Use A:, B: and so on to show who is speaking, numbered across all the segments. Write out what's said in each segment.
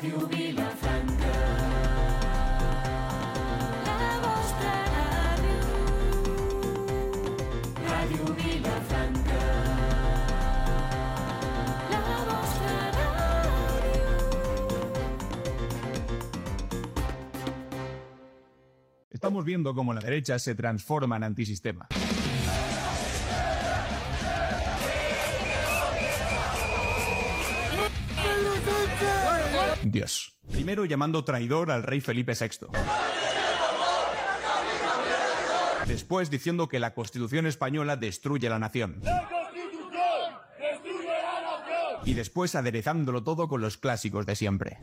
A: Ràdio Vilafranca. La vostra ràdio. Ràdio Vilafranca. La vostra ràdio.
B: Estamos viendo cómo la derecha se transforma en antisistema. Dios. Primero llamando traidor al rey Felipe VI. Después diciendo que la Constitución española destruye la nación.
C: ¡La Constitución destruye la nación!
B: Y después aderezándolo todo con los clásicos de siempre.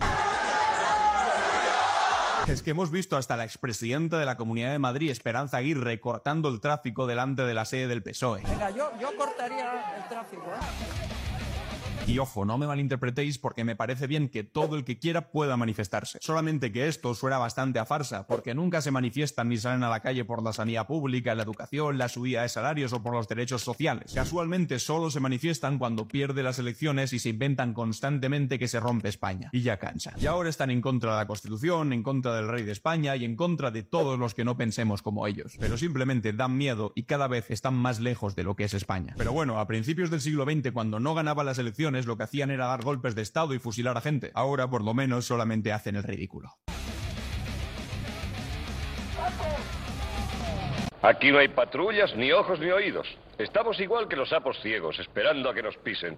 B: Es que hemos visto hasta la expresidenta de la Comunidad de Madrid, Esperanza Aguirre, cortando el tráfico delante de la sede del PSOE.
D: Venga, yo cortaría el tráfico,
B: Y ojo, no me malinterpretéis porque me parece bien que todo el que quiera pueda manifestarse. Solamente que esto suena bastante a farsa, porque nunca se manifiestan ni salen a la calle por la sanidad pública, la educación, la subida de salarios o por los derechos sociales. Casualmente solo se manifiestan cuando pierde las elecciones y se inventan constantemente que se rompe España. Y ya cansa. Y ahora están en contra de la Constitución, en contra del rey de España y en contra de todos los que no pensemos como ellos. Pero simplemente dan miedo y cada vez están más lejos de lo que es España. Pero bueno, a principios del siglo XX, cuando no ganaba las elecciones, lo que hacían era dar golpes de estado y fusilar a gente. Ahora, por lo menos, solamente hacen el ridículo.
E: Aquí no hay patrullas, ni ojos, ni oídos. Estamos igual que los sapos ciegos, esperando a que nos pisen.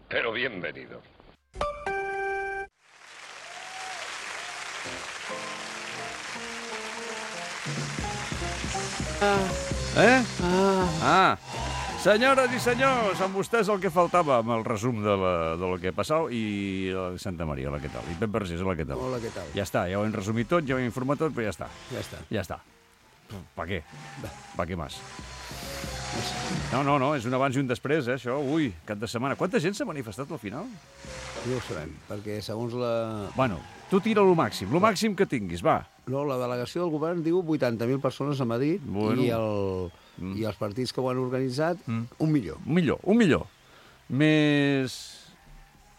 E: Pero bienvenidos.
F: Senyores i senyors, amb vostès el que faltava amb el resum del que ha passat i Santa Maria, hola, què tal? I Pep Vergés, hola, què tal?
G: Hola, què tal?
F: Ja està, ja ho hem resumit tot, ja ho hem informat tot, però ja està.
G: Ja està.
F: Ja està. Pa què? Pa què més? No, és un abans i un després, això. Ui, cap de setmana. Quanta gent s'ha manifestat al final?
G: No ho sabem, perquè segons la...
F: Bueno, tu tira lo màxim que tinguis, va.
G: No, la delegació del govern diu 80.000 persones a Madrid
F: Bueno.
G: i els partits que ho han organitzat, 1 milió.
F: Un milió. Més...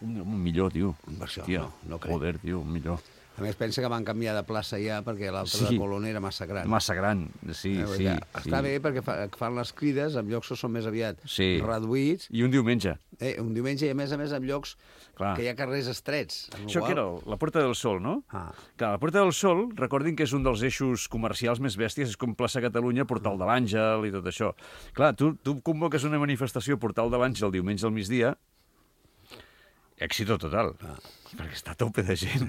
F: Un milió, tio.
G: Per això,
F: Hòstia,
G: no crec.
F: Joder, tio, un milió.
G: A més, pensa que van canviar de plaça ja perquè l'altra de Colón era massa gran.
F: Massa gran, sí.
G: Està bé perquè fan les crides, en llocs que són més aviat reduïts.
F: I un diumenge.
G: Un diumenge i, a més, en llocs que hi ha carrers estrets.
F: Això que era la Puerta del Sol, no? Clar, la Puerta del Sol, recordin que és un dels eixos comercials més bèsties, és com plaça Catalunya, Portal de l'Àngel i tot això. Clar, tu convoques una manifestació a Portal de l'Àngel diumenge al migdia, èxito total, perquè està a tope de gent.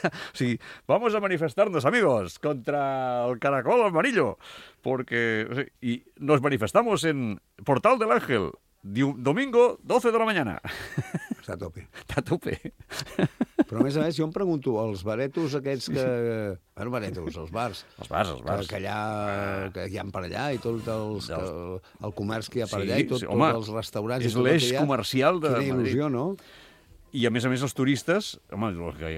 F: O sigui, vamos a manifestarnos, amigos, contra el caracol amarillo, porque... O sigui, y nos manifestamos en Portal del Ángel, domingo, 12 de la mañana.
G: Està a tope.
F: Està a tope.
G: Però, a més, jo em pregunto, els baretos aquests que... Bueno, baretos, els bars.
F: Els bars.
G: Que allà, que hi ha per allà, i tot el comerç que hi ha per allà, i tots els restaurants...
F: És l'eix comercial de Madrid.
G: Quina il·lusió, no?
F: I, a més, els turistes... Home,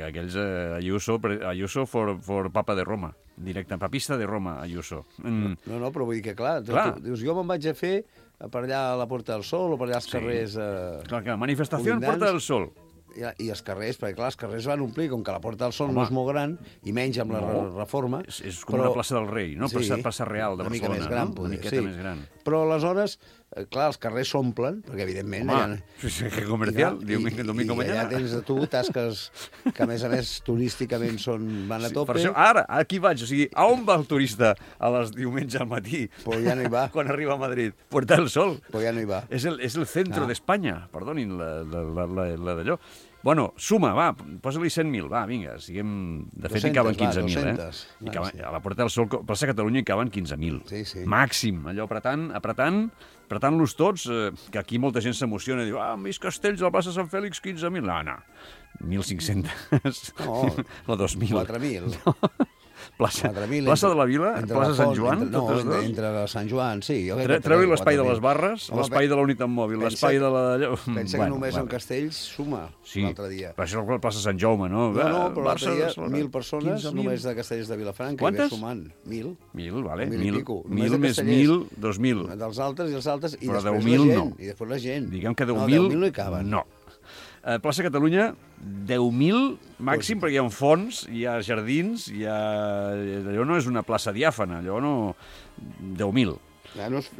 F: aquells Ayuso for Papa de Roma. Directe, papista de Roma, Ayuso.
G: No, però vull dir que, clar, tu dius, jo me'n vaig a fer per allà a la Porta del Sol o per allà als carrers...
F: Clar, manifestació en Porta del Sol.
G: I els carrers, perquè clar, els carrers van omplir, com que la Porta del Sol no és molt gran, i menys amb la reforma...
F: És com una plaça del rei, no? Plaça Real de Barcelona.
G: Una mica més gran,
F: una miqueta més gran.
G: Però aleshores, clar, els carrers s'omplen, perquè evidentment...
F: Que comercial, domingo mañana.
G: I allà tens tu tasques que, a més, turísticament van a tope.
F: Per això, ara, aquí vaig, o sigui, a on va el turista a les diumenge al matí?
G: Pues ja no hi va.
F: Quan arriba a Madrid? Puerta del Sol.
G: Pues ja no hi va.
F: És el centre d'Espanya, perdonin la d'allò. Bueno, suma, va, posa-li 100.000, va, vinga, siguem... De fet, hi caben 15.000, a la Porta del Sol, plaça Catalunya, hi caben 15.000.
G: Sí.
F: Màxim, allò apretant-los tots, que aquí molta gent s'emociona i diu, més castells a la plaça Sant Fèlix, 15.000. No, 1.500.
G: No,
F: o 2.000.
G: 4.000.
F: Plaça de la Vila, plaça Sant Joan,
G: totes dues? Entre Sant Joan, sí.
F: Treu-hi l'espai de les barres, l'espai de la unitat mòbil, l'espai de la...
G: Pensa que només en Castells suma l'altre dia.
F: Però això és la plaça Sant Jaume, no?
G: No, però l'altre dia 1.000 persones només de Castells de Vilafranca.
F: Quantes?
G: I ve sumant. 1.000.
F: 1.000, vale.
G: 1.000
F: més 1.000, 2.000.
G: Dels altres i els altres, i
F: però
G: després
F: 10.000
G: la gent.
F: no.
G: I després la gent.
F: Diguem que 10.000...
G: No, 10.000 no hi caben.
F: No. Plaça Catalunya, 10.000 màxim, perquè hi ha fonts, hi ha jardins, allò no és una plaça diàfana, allò no... 10.000.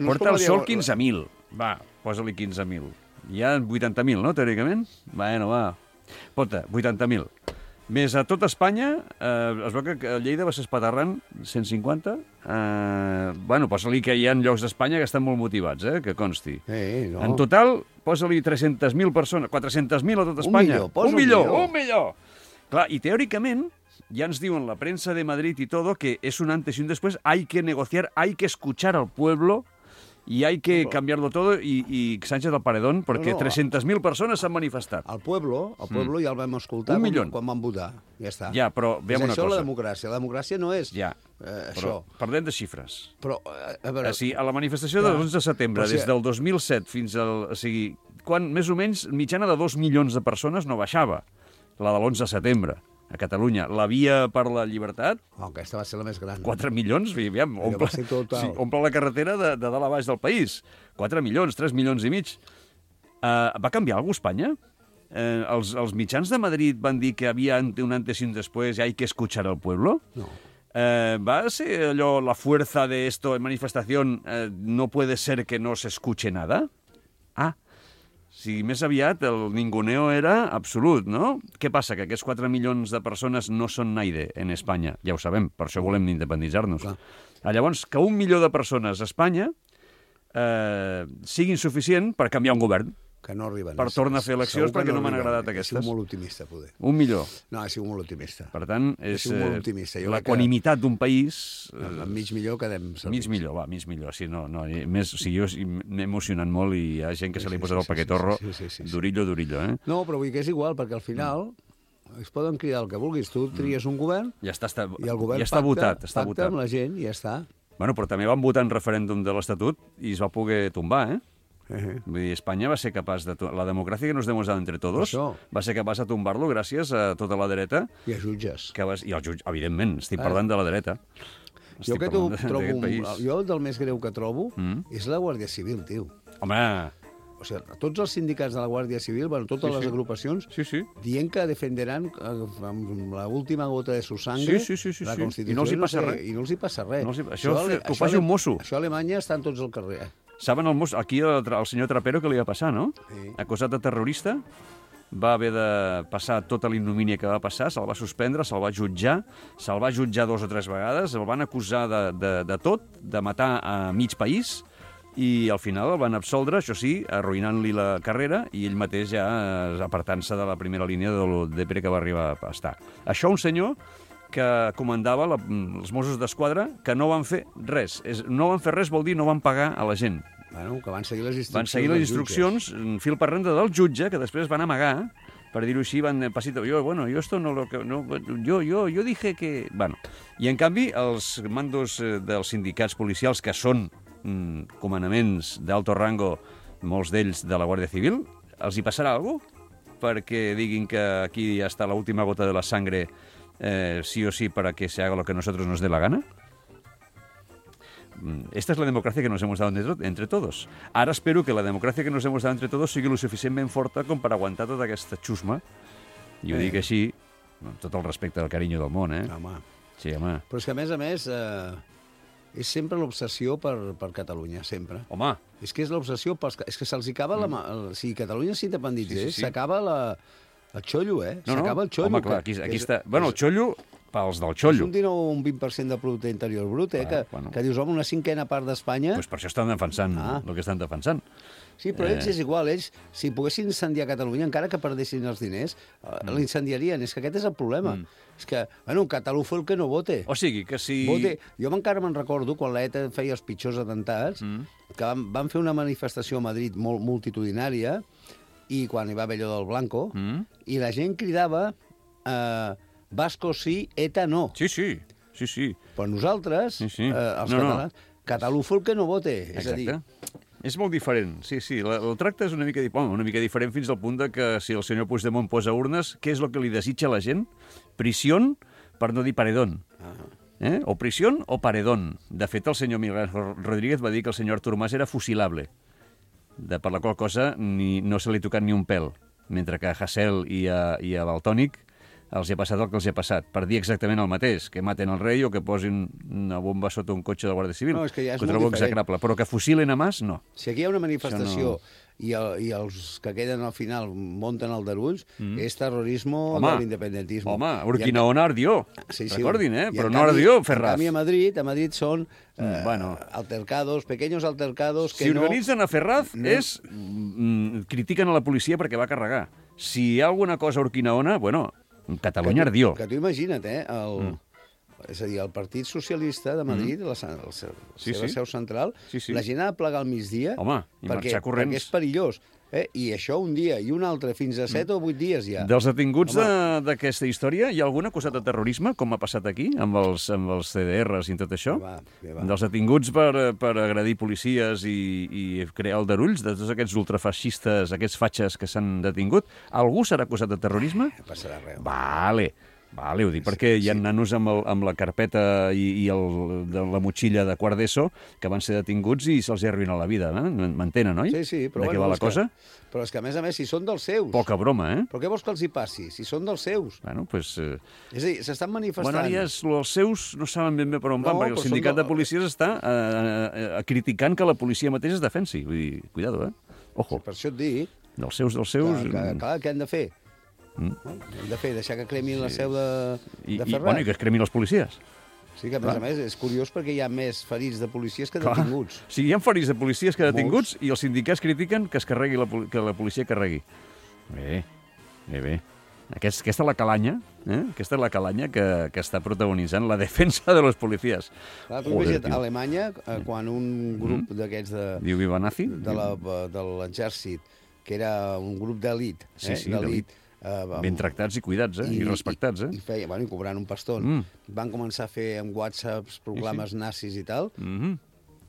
F: Porta el Sol 15.000. Va, posa-li 15.000. Hi ha 80.000, no, teòricament? Bueno, va. Porta, 80.000. Més a tot Espanya, es veu que Lleida va ser espaterrant 150. Bueno, posa-li que hi ha llocs d'Espanya que estan molt motivats, que consti.
G: No.
F: En total, posa-li 300.000 persones, 400.000 a tot Espanya.
G: Un
F: milió. Clar, i teòricament, ja ens diuen la premsa de Madrid i todo que és un antes y un después, hay que negociar, hay que escuchar al pueblo y hay que cambiarlo todo y Sánchez al paredón, perquè 300.000 persones s'han manifestat.
G: Al pueblo ja el vam escoltar quan van votar. Ja està.
F: Ja, però veiem una cosa.
G: És això la democràcia. La democràcia no és
F: això. Parlem de xifres.
G: Però, a veure...
F: A la manifestació del 11 de setembre, des del 2007 fins al... O sigui, quan més o menys mitjana de 2 milions de persones no baixava, la de l'11 de setembre. A Catalunya. La via per la llibertat...
G: Aquesta va ser la més gran.
F: 4 milions, aviam, omple la carretera de dalt a baix del país. 4 milions, 3 milions i mig. Va canviar alguna cosa Espanya? Els mitjans de Madrid van dir que havia un antes y un después y hay que escuchar al pueblo?
G: No.
F: ¿Va a ser allò, la fuerza de esto en manifestación, no puede ser que no se escuche nada? Si més aviat el ninguneo era absolut, no? Què passa? Que aquests 4 milions de persones no són naide en Espanya. Ja ho sabem, per això volem independitzar-nos. Llavors, que 1 milió de persones a Espanya sigui insuficient per canviar un govern.
G: Que no arriben.
F: Per tornar a fer eleccions perquè no m'han agradat aquestes.
G: He sigut molt optimista, poder.
F: 1 milió.
G: No, he sigut molt optimista.
F: Per tant, és
G: l'equanimitat
F: d'un país...
G: Amb mig milió quedem servits.
F: Mig milió. Sí, no, més, o sigui, jo m'he emocionat molt i hi ha gent que se li ha posat el paquetorro durillo,
G: No, però vull que és igual, perquè al final es poden cridar el que vulguis. Tu tries un govern i el govern pacta amb la gent i ja està.
F: Bueno, però també van votar en referèndum de l'Estatut i es va poder tombar, Vull dir, Espanya va ser capaç de... La democràcia que nos hemos dado entre todos va ser capaç de tombar-lo gràcies a tota la dreta.
G: I a jutges.
F: I als jutges, evidentment, estic parlant de la dreta.
G: Jo del més greu que trobo és la Guàrdia Civil, tio.
F: Home...
G: O sigui, tots els sindicats de la Guàrdia Civil, totes les agrupacions, dient que defenderan amb l'última gota de su sangre la Constitució.
F: I no els hi passa res.
G: I no els hi passa res.
F: Això ho faci un mosso.
G: Això a Alemanya estan tots al carrer.
F: Saben el mosso? Aquí el senyor Trapero que li va passar, no? Acusat de terrorista, va haver de passar tota l'ignomínia que va passar, se'l va suspendre, se'l va jutjar 2 o 3 vegades, el van acusar de tot, de matar a mig país, i al final el van absoldre, això sí, arruïnant-li la carrera, i ell mateix ja apartant-se de la primera línia del DPR que va arribar a estar. Això un senyor que comandava els Mossos d'Esquadra, que no van fer res. No van fer res vol dir no van pagar a la gent.
G: Bueno, que van seguir les instruccions.
F: Van seguir les instruccions, fil per randa del jutge, que després van amagar, per dir-ho així, van pasito. Yo esto no lo... Yo dije que... Bueno, i en canvi, els mandos dels sindicats policials, que són comandaments d'alto rango, molts d'ells de la Guàrdia Civil, els hi passarà alguna cosa? Perquè diguin que aquí ja està l'última gota de la sangre sí o sí para que se haga lo que nosotros nos dé la gana. Esta es la democracia que nos hemos dado entre todos. Ara espero que la democràcia que nos hemos dado entre todos sigui lo suficientment forta com per aguantar tota aquesta xusma. I ho dic així, amb tot el respecte del carinyo del món,
G: Home.
F: Sí, home.
G: Però és que, a més, és sempre l'obsessió per Catalunya, sempre.
F: Home.
G: És que és l'obsessió és que se'ls acaba si Catalunya s'independitzés, s'acaba el xollo, s'acaba el xollo.
F: Home, clar, aquí està... Bueno, el xollo, pels del xollo.
G: És un 19 o un 20% del producte interior brut, que dius, home, una 5a part d'Espanya...
F: Doncs per això estan defensant el que estan defensant.
G: Sí, però ells és igual, ells, si poguessin incendiar Catalunya, encara que perdessin els diners, l'incendiarien. És que aquest és el problema. És que, bueno, un catalú fue el que no vote.
F: O sigui, que si...
G: Jo encara me'n recordo, quan l'ETA feia els pitjors atemptats, que van fer una manifestació a Madrid molt multitudinària, i quan hi va haver allò del Blanco, i la gent cridava Vasco sí, ETA no.
F: Sí.
G: Però nosaltres, els catalans, catalú fue el que no vote. És a dir...
F: És molt diferent, sí. El tracte és una mica diferent fins al punt de que si el senyor Puigdemont posa urnes, què és el que li desitja a la gent? Prisión, per no dir paredón. O prisión o paredón. De fet, el senyor Miguel Rodríguez va dir que el senyor Artur Mas era fusilable, per la qual cosa no se li ha tocat ni un pèl. mentre que a Hasél i a Valtònic els hi ha passat el que els hi ha passat, per dir exactament el mateix, que maten el rei o que posin una bomba sota un cotxe de la Guàrdia Civil.
G: No, és que ja és
F: ho
G: molt
F: trobo
G: diferent.
F: execrable, però que fusilen a Mas, no.
G: Si aquí hi ha una manifestació
F: Això
G: i els que queden al final munten aldarulls, és terrorisme de l'independentisme.
F: Home, Urquinaona ardió.
G: Sí,
F: Recordin,
G: i en
F: però no
G: canvi-
F: ardió
G: En
F: Ferraz.
G: canvi, a Madrid són
F: bueno.
G: altercados, pequeños altercados que
F: Si
G: no...
F: organitzen a Ferraz,
G: no-
F: critiquen a la policia perquè va carregar. Si hi ha alguna cosa a Urquinaona, bueno, Catalunya ardió.
G: Que tu imagina't, és a dir, el Partit Socialista de Madrid, la seva seu central,
F: Sí, sí.
G: la gent ha de plegar al migdia
F: Home, i marxar corrents.
G: perquè és perillós. I això un dia i un altre, fins a 7 o 8 dies ja.
F: Dels detinguts d'aquesta història, hi ha algun acusat de terrorisme, com ha passat aquí, amb els CDRs i tot això?
G: Va.
F: Dels detinguts per agredir policies i crear aldarulls, de tots aquests ultrafeixistes, aquests fatxes que s'han detingut, algú serà acusat de terrorisme?
G: No passarà res.
F: Vale, ho dic perquè hi ha nanos amb la carpeta i de la motxilla de quart d'ESO que van ser detinguts i se'ls ha arruïnat la vida. M'entenen, oi?
G: Sí, però
F: de què va la cosa?
G: Però és que, a més, si són dels seus...
F: Poca broma, eh?
G: Però què vols que els hi passi, si són dels seus?
F: Bueno, pues...
G: És a dir, s'estan manifestant...
F: Bueno, ara ja els seus no saben ben bé per on van,
G: No,
F: perquè el
G: però
F: sindicat
G: són
F: de policies està criticant que la policia mateixa es defensi. Vull dir, cuidado, Ojo,
G: Per això et dic
F: dels seus...
G: clar, què han de fer? No? Hem de fer, deixar que cremin la seu de Ferraz.
F: Bueno, i que es cremin els policies.
G: Sí, que a més és curiós perquè hi ha més ferits de policies que
F: Clar.
G: detinguts.
F: Sí, hi ha ferits de policies que detinguts i els sindicats critiquen que es carregui que la policia carregui. Bé. Aquesta és la calanya, Aquesta és la calanya que està protagonitzant la defensa de los policías.
G: Clar, tu imagina't, a Alemanya, quan un grup d'aquests
F: Diu Viva Nazi?
G: de l'exèrcit, que era un grup d'elit,
F: Sí,
G: d'elit,
F: Ben tractats i cuidats, i respectats,
G: I feia, bueno, i cobrant un paston. Van començar a fer amb whatsapps proclames nazis i tal.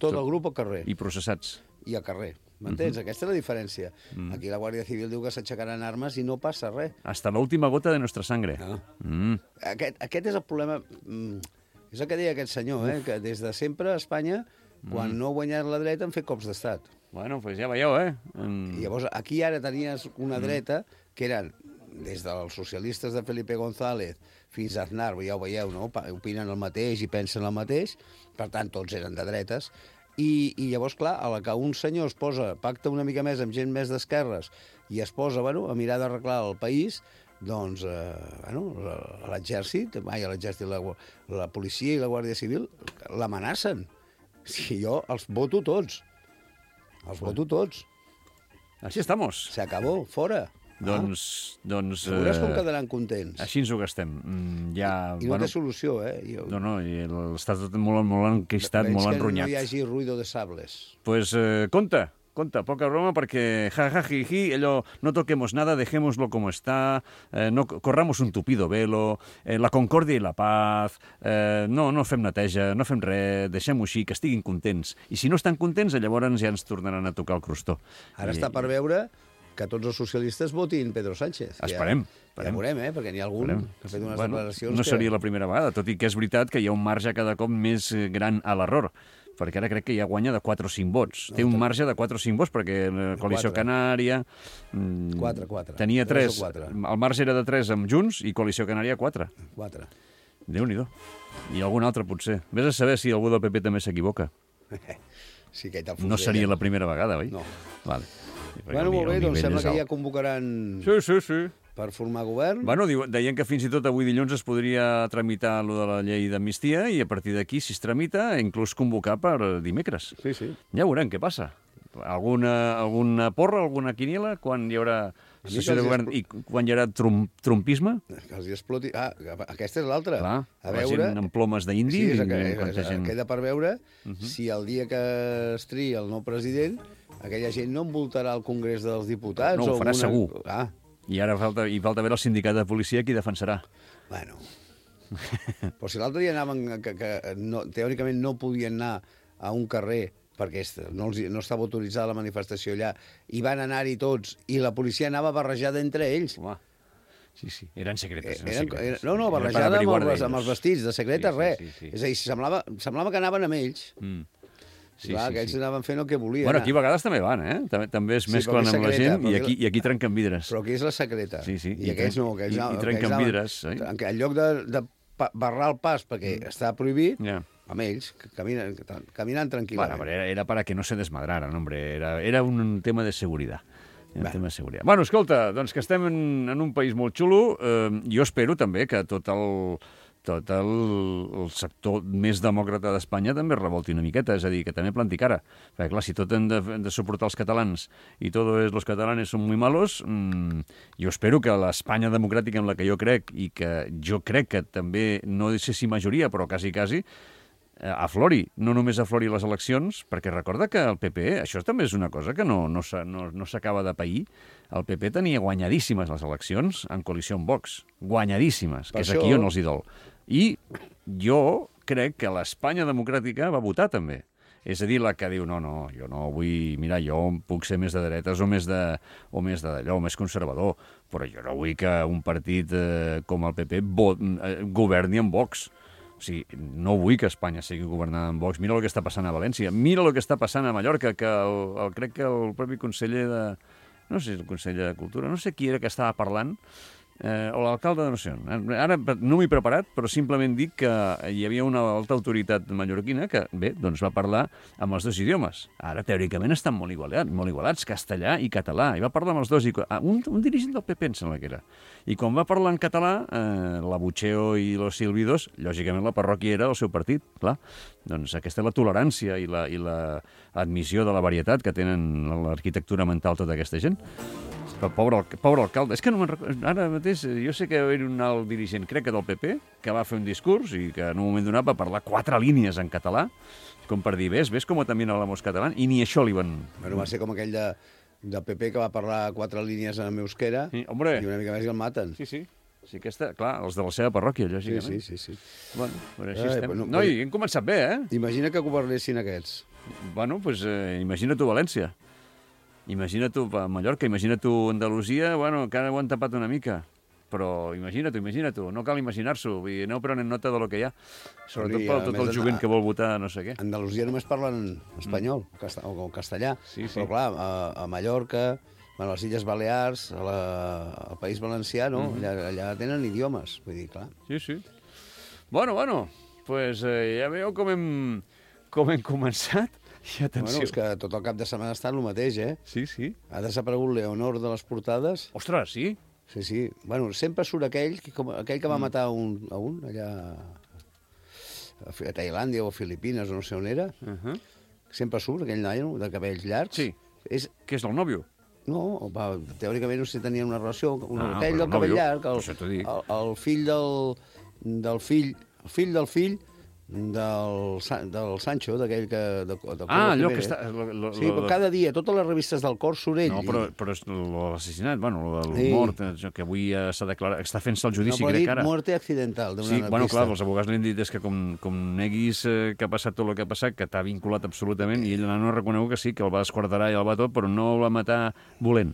G: Tot el grup al carrer.
F: I processats.
G: I al carrer. M'entens? Aquesta és la diferència. Aquí la Guàrdia Civil diu que s'aixecaran armes i no passa res.
F: Hasta la última gota de nuestra sangre.
G: Aquest és el problema... És el que deia aquest senyor, que des de sempre a Espanya, quan no ha guanyat la dreta, han fet cops d'estat.
F: Bueno, pues ja veieu,
G: I llavors, aquí ara tenies una dreta que eren des dels socialistes de Felipe González fins a Aznar, ja ho veieu, no? Opinen el mateix i pensen el mateix, per tant, tots eren de dretes, i llavors, clar, a la que un senyor es posa, pacta una mica més amb gent més d'esquerres i es posa, bueno, a mirar d'arreglar el país, doncs, l'exèrcit, la policia i la Guàrdia Civil l'amenacen. Si jo els voto tots. Els voto tots.
F: Així estamos.
G: Se acabó, fora.
F: Doncs...
G: Veuràs com quedaran contents.
F: Així ens ho gastem.
G: I no té solució,
F: No, i està tot molt enquistat, molt enronyat.
G: Que no hi hagi ruido de sables.
F: Pues compte, poca broma, perquè jiji, allò, no toquemos nada, dejémoslo como está, no corramos un tupido velo, la concòrdia i la paz, no fem neteja, no fem res, deixem-ho així, que estiguin contents. I si no estan contents, llavors ja ens tornaran a tocar el crostó.
G: Ara està per veure que tots els socialistes votin Pedro Sánchez.
F: Esperem.
G: Ja veurem, perquè n'hi ha algun que ha fet unes declaracions
F: no seria la primera vegada, tot i que és veritat que hi ha un marge cada cop més gran a l'error, perquè ara crec que ja guanya de 4 o 5 vots. Té un marge de 4 o 5 vots, perquè la Coalició Canària...
G: 4.
F: Tenia 3. El marge era de 3 amb Junts i Coalició Canària 4.
G: 4.
F: Déu-n'hi-do. I algun altre, potser. Vés a saber si algú del PP també s'equivoca.
G: Sí que hi tal
F: no seria la primera vegada, oi?
G: No.
F: Vale.
G: Bueno, molt bé, doncs sembla que ja convocaran
F: Sí.
G: per formar govern.
F: Bueno, deien que fins i tot avui dilluns es podria tramitar allò de la llei d'amnistia i a partir d'aquí, si es tramita, inclús convocar per dimecres.
G: Sí.
F: Ja veurem què passa. Alguna porra, alguna quiniela, quan hi haurà sessió de govern i quan hi haurà trumpisme?
G: Que els hi exploti... Aquesta és l'altra.
F: Clar,
G: a
F: la
G: veure...
F: gent amb plomes d'indi.
G: Sí, queda per veure si el dia que es triï el nou president aquella gent no envoltarà el Congrés dels Diputats.
F: No, ho farà segur.
G: Ah.
F: I ara falta veure el sindicat de policia qui defensarà.
G: Bueno. Però si l'altre dia anaven... teòricament no podien anar a un carrer perquè no estava autoritzada la manifestació allà, i van anar-hi tots, i la policia anava barrejada entre ells.
F: Home, sí, eren secretes.
G: No, barrejada amb els vestits, de secretes, res. És a dir, semblava que anaven amb ells. Clar, aquells anaven fent el que volien.
F: Bueno, aquí a vegades també van, També es mesclen amb la gent i aquí trenquen vidres.
G: Però aquí és la secreta.
F: Sí.
G: I aquells no.
F: I trenquen vidres.
G: En lloc de barrar el pas perquè està prohibit, amb ells, caminant tranquil·lament.
F: Bueno, era para que no se desmadraran, hombre. Era un tema de seguretat. Bueno, escolta, doncs que estem en un país molt xulo. Jo espero també que tot el sector més demòcrata d'Espanya també revolti una miqueta, és a dir, que també planti cara. Perquè, clar, si tot hem de suportar els catalans i los catalanes són muy malos, jo espero que l'Espanya democràtica en la que jo crec, i que jo crec que també, no sé si majoria, però quasi, aflori, no només aflori les eleccions, perquè recorda que el PP, això també és una cosa que no s'acaba de pair, el PP tenia guanyadíssimes les eleccions en coalició amb Vox, guanyadíssimes, que és aquí on els hi dol. I jo crec que l'Espanya democràtica va votar també. És a dir, la que diu, no, jo no vull... Mira, jo puc ser més de dretes o més d'allò, més conservador, però jo no vull que un partit com el PP governi amb Vox. O sigui, no vull que Espanya sigui governada amb Vox. Mira el que està passant a València, mira el que està passant a Mallorca, que crec que el propi conseller de... No sé si és el conseller de Cultura, no sé qui era que estava parlant, o l'alcalde de no sé on. Ara no m'he preparat, però simplement dic que hi havia una alta autoritat mallorquina que, bé, doncs va parlar amb els dos idiomes. Ara, teòricament, estan molt igualats, castellà i català. I va parlar amb els dos. Un dirigent del PP, em sembla que era. I quan va parlar en català, la Bucheo i los Silvidos, lògicament la parròquia era del seu partit, clar. Doncs aquesta és la tolerància i l'admissió de la varietat que tenen l'arquitectura mental tota aquesta gent. Pobre alcalde. És que no me'n recordo. Ara mateix, jo sé que era un alt dirigent, crec que del PP, que va fer un discurs i que en un moment donat va parlar 4 línies en català, com per dir, ves com també hablamos català, i ni això li van...
G: Bueno, va ser com aquell del PP que va parlar 4 línies en euskera,
F: sí, hombre.
G: I una mica més i el maten.
F: Sí, aquesta, clar, els de la seva parròquia, lògicament.
G: Sí.
F: Bueno, però així estem. No, i hem començat bé,
G: Imagina que governessin aquests.
F: Bueno, doncs imagina tu València. Imagina tu Mallorca, imagina tu Andalusia, bueno, que ara ho han tapat una mica, però imagina tu, no cal imaginar-s'ho, vull dir, aneu prenent nota de lo que hi ha, sobretot per tot el jovent que vol votar no sé què.
G: A Andalusia només parlen espanyol o castellà, però clar, a Mallorca, a les Illes Balears, al País Valencià, no? Allà tenen idiomes, vull dir, clar.
F: Sí. Bueno, pues ja veieu com hem començat. I atenció.
G: Bueno, és que tot el cap de setmana ha estat el mateix,
F: Sí.
G: Ha desaparegut Leonor de les portades.
F: Ostres, sí?
G: Sí. Bueno, sempre surt aquell que va matar a un allà a Tailàndia o a Filipines o no sé on era. Sempre surt aquell nano de cabells llargs.
F: Sí. Que és el nòvio?
G: No, teòricament no sé si tenien una relació. Aquell del cabell llarg, el fill del fill del Sancho, d'aquell que...
F: allò que està...
G: Sí, però cada dia, totes les revistes del cor surt ell.
F: No, però és l'assassinat, bueno, el mort, que avui s'ha declarat, està fent-se el judici, crec ara.
G: No, però muerte accidental d'una artista.
F: Sí, bueno, clar, els abogats li han dit és que com neguis que ha passat tot el que ha passat, que t'ha vinculat absolutament, i ell no ha reconegut que sí, que el va desquarterar i el va tot, però no el va matar volent.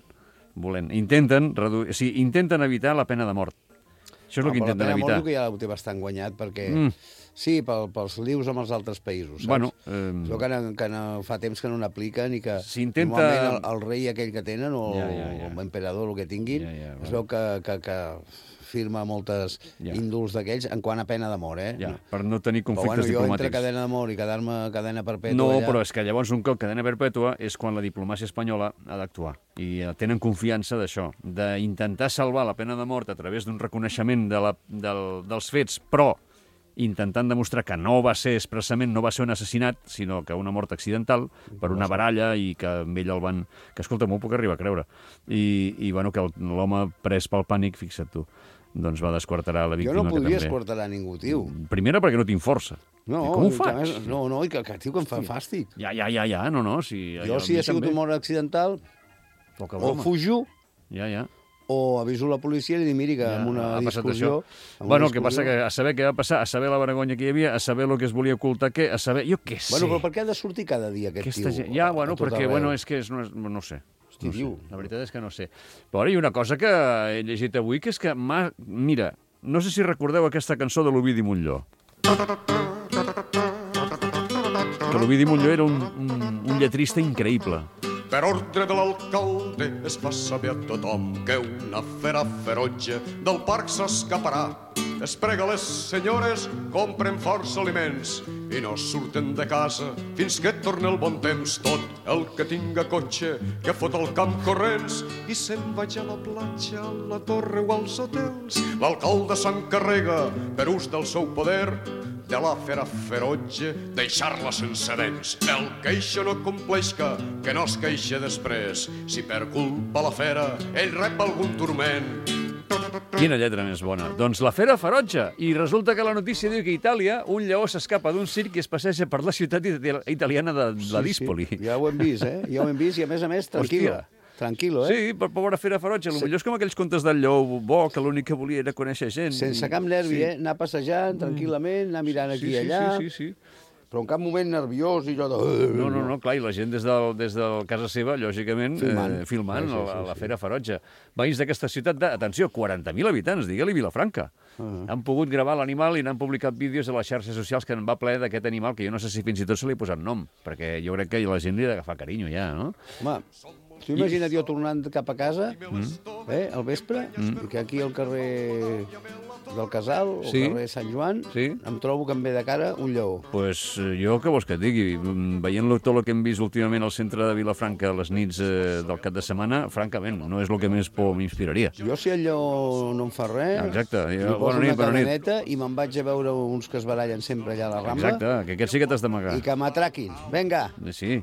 F: Intenten evitar la pena de mort. Això és el que intenten evitar.
G: La pena de mort que ja ho té bastant guanyat, perquè... Sí, pels lius amb els altres països, saps?
F: Bueno,
G: que fa temps que no n'apliquen i que
F: normalment
G: el rei aquell que tenen o l'emperador, el que tinguin, es veu que firma moltes índols d'aquells en quant a pena de mort,
F: per no tenir conflictes diplomàtics.
G: Jo entre cadena de mort i quedar-me cadena perpètua...
F: No, però és que llavors un cop cadena perpètua és quan la diplomàcia espanyola ha d'actuar. I tenen confiança d'això, d'intentar salvar la pena de mort a través d'un reconeixement dels fets, però intentant demostrar que no va ser expressament, no va ser un assassinat, sinó que una mort accidental per una baralla i que amb ell el van... Que, escolta, m'ho puc arribar a creure. I bueno, que l'home pres pel pànic, fixa't tu, doncs va desquarterar la víctima.
G: Jo no podria esquarterar ningú, tio.
F: Primera, perquè no tinc força.
G: No,
F: com ho faig?
G: No, i que tio, que em fa fàstic.
F: Ja, no.
G: Jo, si ha sigut un mort accidental, o fujo, o aviso la policia i li dic, miri, que amb una discussió...
F: Bueno, el que passa que a saber què va passar, a saber la vergonya que hi havia, a saber el que es volia ocultar, a saber... Jo què sé.
G: Bueno, però per què ha de sortir cada dia aquest tio?
F: Ja, bueno, perquè, és que no sé.
G: Hosti, diu.
F: La veritat és que no sé. Però hi ha una cosa que he llegit avui, que és que... Mira, no sé si recordeu aquesta cançó de l'Ovidi Montllor. que l'Ovidi Montllor era un lletrista increïble.
H: Per ordre de l'alcalde es fa saber a tothom que una fera ferotge del parc s'escaparà. Es prega les senyores, compren força aliments i no surten de casa fins que torni el bon temps. Tot el que tinga cotxe, que fot el camp corrents i se'n vaig a la platja, a la torre o als hotels. L'alcalde s'encarrega, per ús del seu poder, de la fera ferotge, deixar-la sense dents. El que això no compleixca, que no es queixa després. Si per culpa la fera ell rep algun turment.
F: Quina lletra més bona. Doncs la fera ferotge. I resulta que la notícia diu que a Itàlia un lleó s'escapa d'un circ i es passeja per la ciutat italiana de la Díspoli.
G: Sí. Ja ho hem vist, eh? Ja ho hem vist i, a més, tranquil·lo.
F: Hòstia.
G: Tranquil·lo, eh?
F: Sí, per pobra fera ferotge. Potser és com aquells contes del lleó bo, que l'únic que volia era conèixer gent.
G: Sense cap nervi, eh? Anar passejant tranquil·lament, anar mirant aquí i allà.
F: Sí.
G: Però en cap moment nerviós i allò de...
F: No, clar, i la gent des de casa seva, lògicament, filmant la fera ferotge. Veïns d'aquesta ciutat atenció, 40.000 habitants, digue-li Vilafranca. Han pogut gravar l'animal i n'han publicat vídeos a les xarxes socials que en va ple d'aquest animal, que jo no sé si fins i tot se li ha posat nom, perquè jo crec que la gent li ha d'agafar carinyo ja, no?
G: Home, t'ho imagina't jo tornant cap a casa, al vespre, i que aquí al carrer del Casal, o carrer Sant Joan, em trobo que em ve de cara un lleó.
F: Pues jo què vols que et digui? Veient tot el que hem vist últimament al centre de Vilafranca a les nits del cap de setmana, francament, no és el que més por m'inspiraria.
G: Jo, si el lleó no em fa res,
F: exacte,
G: li poso una cadeneta i me'n vaig a veure uns que es barallen sempre allà a la Rambla.
F: Exacte, que aquests sí que t'has d'amagar.
G: I que m'atraquin. Vinga.
F: Sí.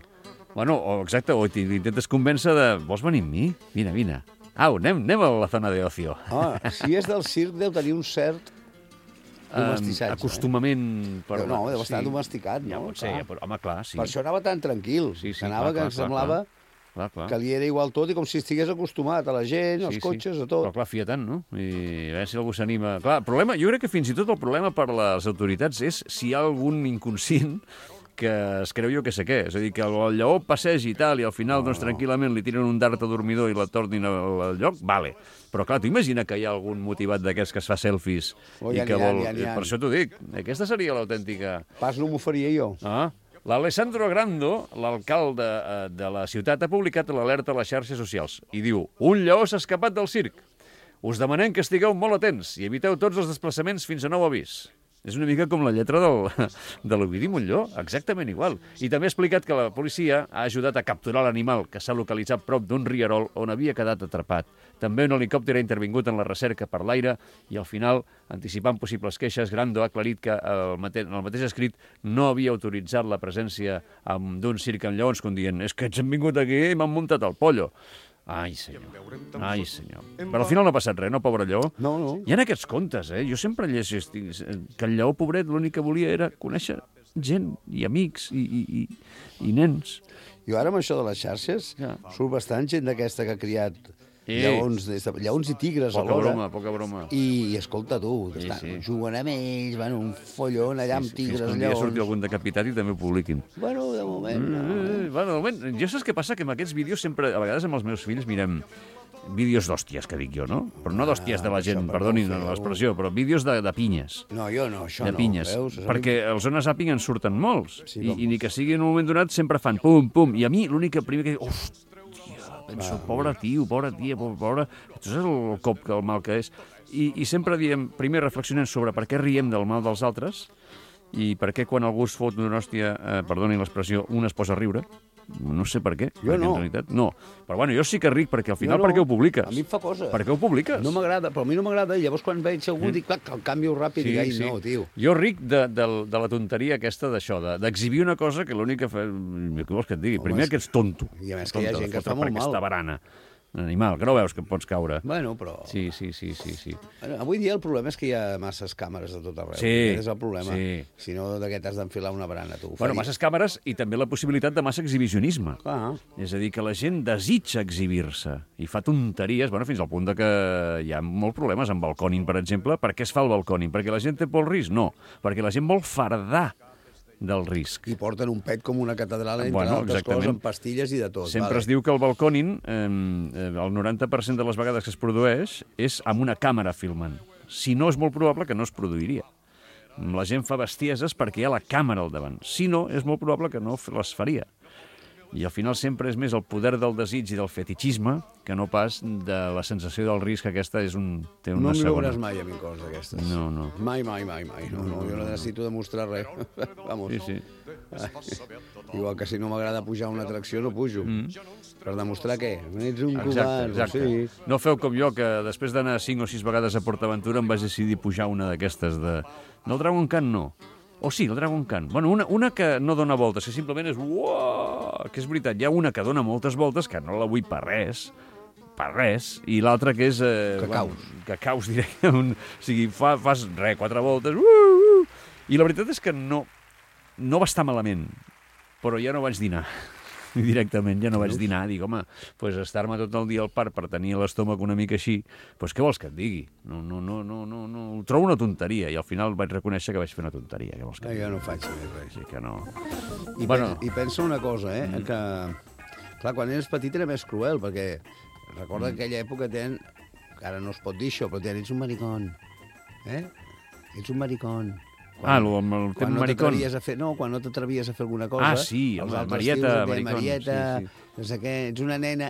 F: Bueno, exacte, o t'intentes convèncer de... Vols venir amb mi? Vine. Au, anem a la zona de ocio.
G: Si és del circ, deu tenir un cert domestissatge.
F: Acostumament...
G: No, deu estar domesticat, no?
F: Ja pot ser, però, home, clar, sí.
G: Per això anava tan tranquil. Anava que em semblava que li era igual tot i com si estigués acostumat a la gent, als cotxes, a tot.
F: Però clar, fia tant, no? I a veure si algú s'anima... Clar, el problema, jo crec que fins i tot el problema per les autoritats és si hi ha algun inconscient que es creu jo que sé què. És a dir, que el lleó passegi i tal, i al final, doncs, tranquil·lament li tiren un dart a dormidor i la tornin al lloc, vale. Però, clar, tu imagina que hi ha algun motivat d'aquests que es fa selfies i que vol... Per això t'ho dic. Aquesta seria l'autèntica...
G: Pas no m'ho faria jo.
F: L'Alessandro Grando, l'alcalde de la ciutat, ha publicat l'alerta a les xarxes socials i diu: un lleó s'ha escapat del circ. Us demanem que estigueu molt atents i eviteu tots els desplaçaments fins a nou avís. És una mica com la lletra de l'Ovidi Montllor, exactament igual. I també ha explicat que la policia ha ajudat a capturar l'animal, que s'ha localitzat prop d'un rierol on havia quedat atrapat. També un helicòpter ha intervingut en la recerca per l'aire i, al final, anticipant possibles queixes, Grando ha aclarit que en el mateix escrit no havia autoritzat la presència d'un circ amb lleons, com dient, és que ens han vingut aquí i m'han muntat el pollo. Ai, senyor. Però al final no ha passat res, no, pobre lleó?
G: No.
F: Hi ha aquests contes, eh? Jo sempre llegeixo que el lleó, pobret, l'únic que volia era conèixer gent i amics i nens.
G: Jo ara amb això de les xarxes surt bastant gent d'aquesta que ha criat lleons i tigres alhora.
F: Poca broma.
G: I escolta tu, juguen amb ells, van un follon allà amb tigres, lleons... Fins que un dia
F: surti algun decapitat i també ho publiquin.
G: Bueno, de moment no.
F: Bueno, de moment, jo saps què passa? Que amb aquests vídeos sempre, a vegades amb els meus fills, mirem vídeos d'hòsties, que dic jo, no? Però no d'hòsties de la gent, perdonin l'expressió, però vídeos de pinyes.
G: No, jo no, això no.
F: De pinyes. Perquè els Zona Zàping en surten molts. I ni que sigui en un moment donat sempre fan pum, pum. I a mi l'únic que primer que dic, penso, pobre tio, pobra tia, pobre... Tu saps el cop, el mal que és? I sempre diem, primer reflexionem sobre per què riem del mal dels altres i per què quan algú es fot d'una hòstia, perdonin l'expressió, un es posa a riure. No sé per què.
G: Jo no.
F: En realitat, no. Però bueno, jo sí que ric, perquè al final per què ho publiques?
G: A mi em fa cosa.
F: Per què ho publiques?
G: No m'agrada, però a mi no m'agrada. I llavors quan veig algú dic, clar, que el canvio ràpid i dic, ai, no, tio.
F: Jo ric de la tonteria aquesta d'això, d'exhibir una cosa que l'únic que fa... Què vols que et digui? Primer que ets tonto.
G: I a més que hi ha gent que fa molt mal.
F: Aquesta barana. Un animal, que no veus que pots caure.
G: Bueno, però...
F: Sí.
G: Bueno, avui dia el problema és que hi ha masses càmeres de tot arreu.
F: Sí.
G: Aquest és el problema.
F: Sí.
G: Si no, de què t'has d'enfilar una barana, tu?
F: Bueno, masses càmeres i també la possibilitat de massa exhibicionisme.
G: Clar.
F: És a dir, que la gent desitja exhibir-se i fa tonteries, bueno, fins al punt de que hi ha molts problemes amb balcòning, per exemple. Per què es fa el balcòning? Perquè la gent té por al risc? No, perquè la gent vol fardar del risc.
G: I porten un pet com una catedral, entre altres coses, amb pastilles i de tot.
F: Sempre es diu que el balcòning, el 90% de les vegades que es produeix, és amb una càmera filmant. Si no, és molt probable que no es produiria. La gent fa bestieses perquè hi ha la càmera al davant. Si no, és molt probable que no les faria. I al final sempre és més el poder del desig i del fetichisme que no pas de la sensació del risc, que aquesta té una
G: No m'hi
F: segona.
G: veuràs mai a mi coses d'aquestes.
F: No, no.
G: Mai. No, jo no necessito demostrar res. Vamos.
F: Sí.
G: Igual que si no m'agrada pujar a una atracció, no pujo. Per demostrar què? Ets un covard.
F: Exacte.
G: Sí.
F: No feu com jo, que després d'anar 5 o 6 vegades a PortAventura em vaig decidir pujar una d'aquestes de... No, el Dragon Khan no. O sí, el Dragon Khan. Bueno, una que no dona voltes, que simplement és... Uah! Que és veritat, hi ha una que dona moltes voltes, que no la vull per res, i l'altra que és... Cacaus, directament. O sigui, fas 4 voltes, i la veritat és que no va estar malament, però ja no vaig dinar. Directament, ja no vaig dinar. Dic, home, pues estar-me tot el dia al parc per tenir l'estómac una mica així, pues què vols que et digui? No, ho trobo una tonteria, i al final vaig reconèixer que vaig fer una tonteria. Què vols que et digui?
G: Jo no faig més res.
F: Sí que no.
G: I pensa una cosa, que... Clar, quan eres petit era més cruel, perquè recorda que aquella època que ara no es pot dir això, però ets un maricón. Ets un maricón.
F: El tema maricón.
G: Quan no t'atrevies a fer alguna cosa...
F: Sí,
G: els altres
F: Marieta,
G: tios et deien,
F: maricón.
G: Marieta,
F: Sí.
G: no sé què, ets una nena.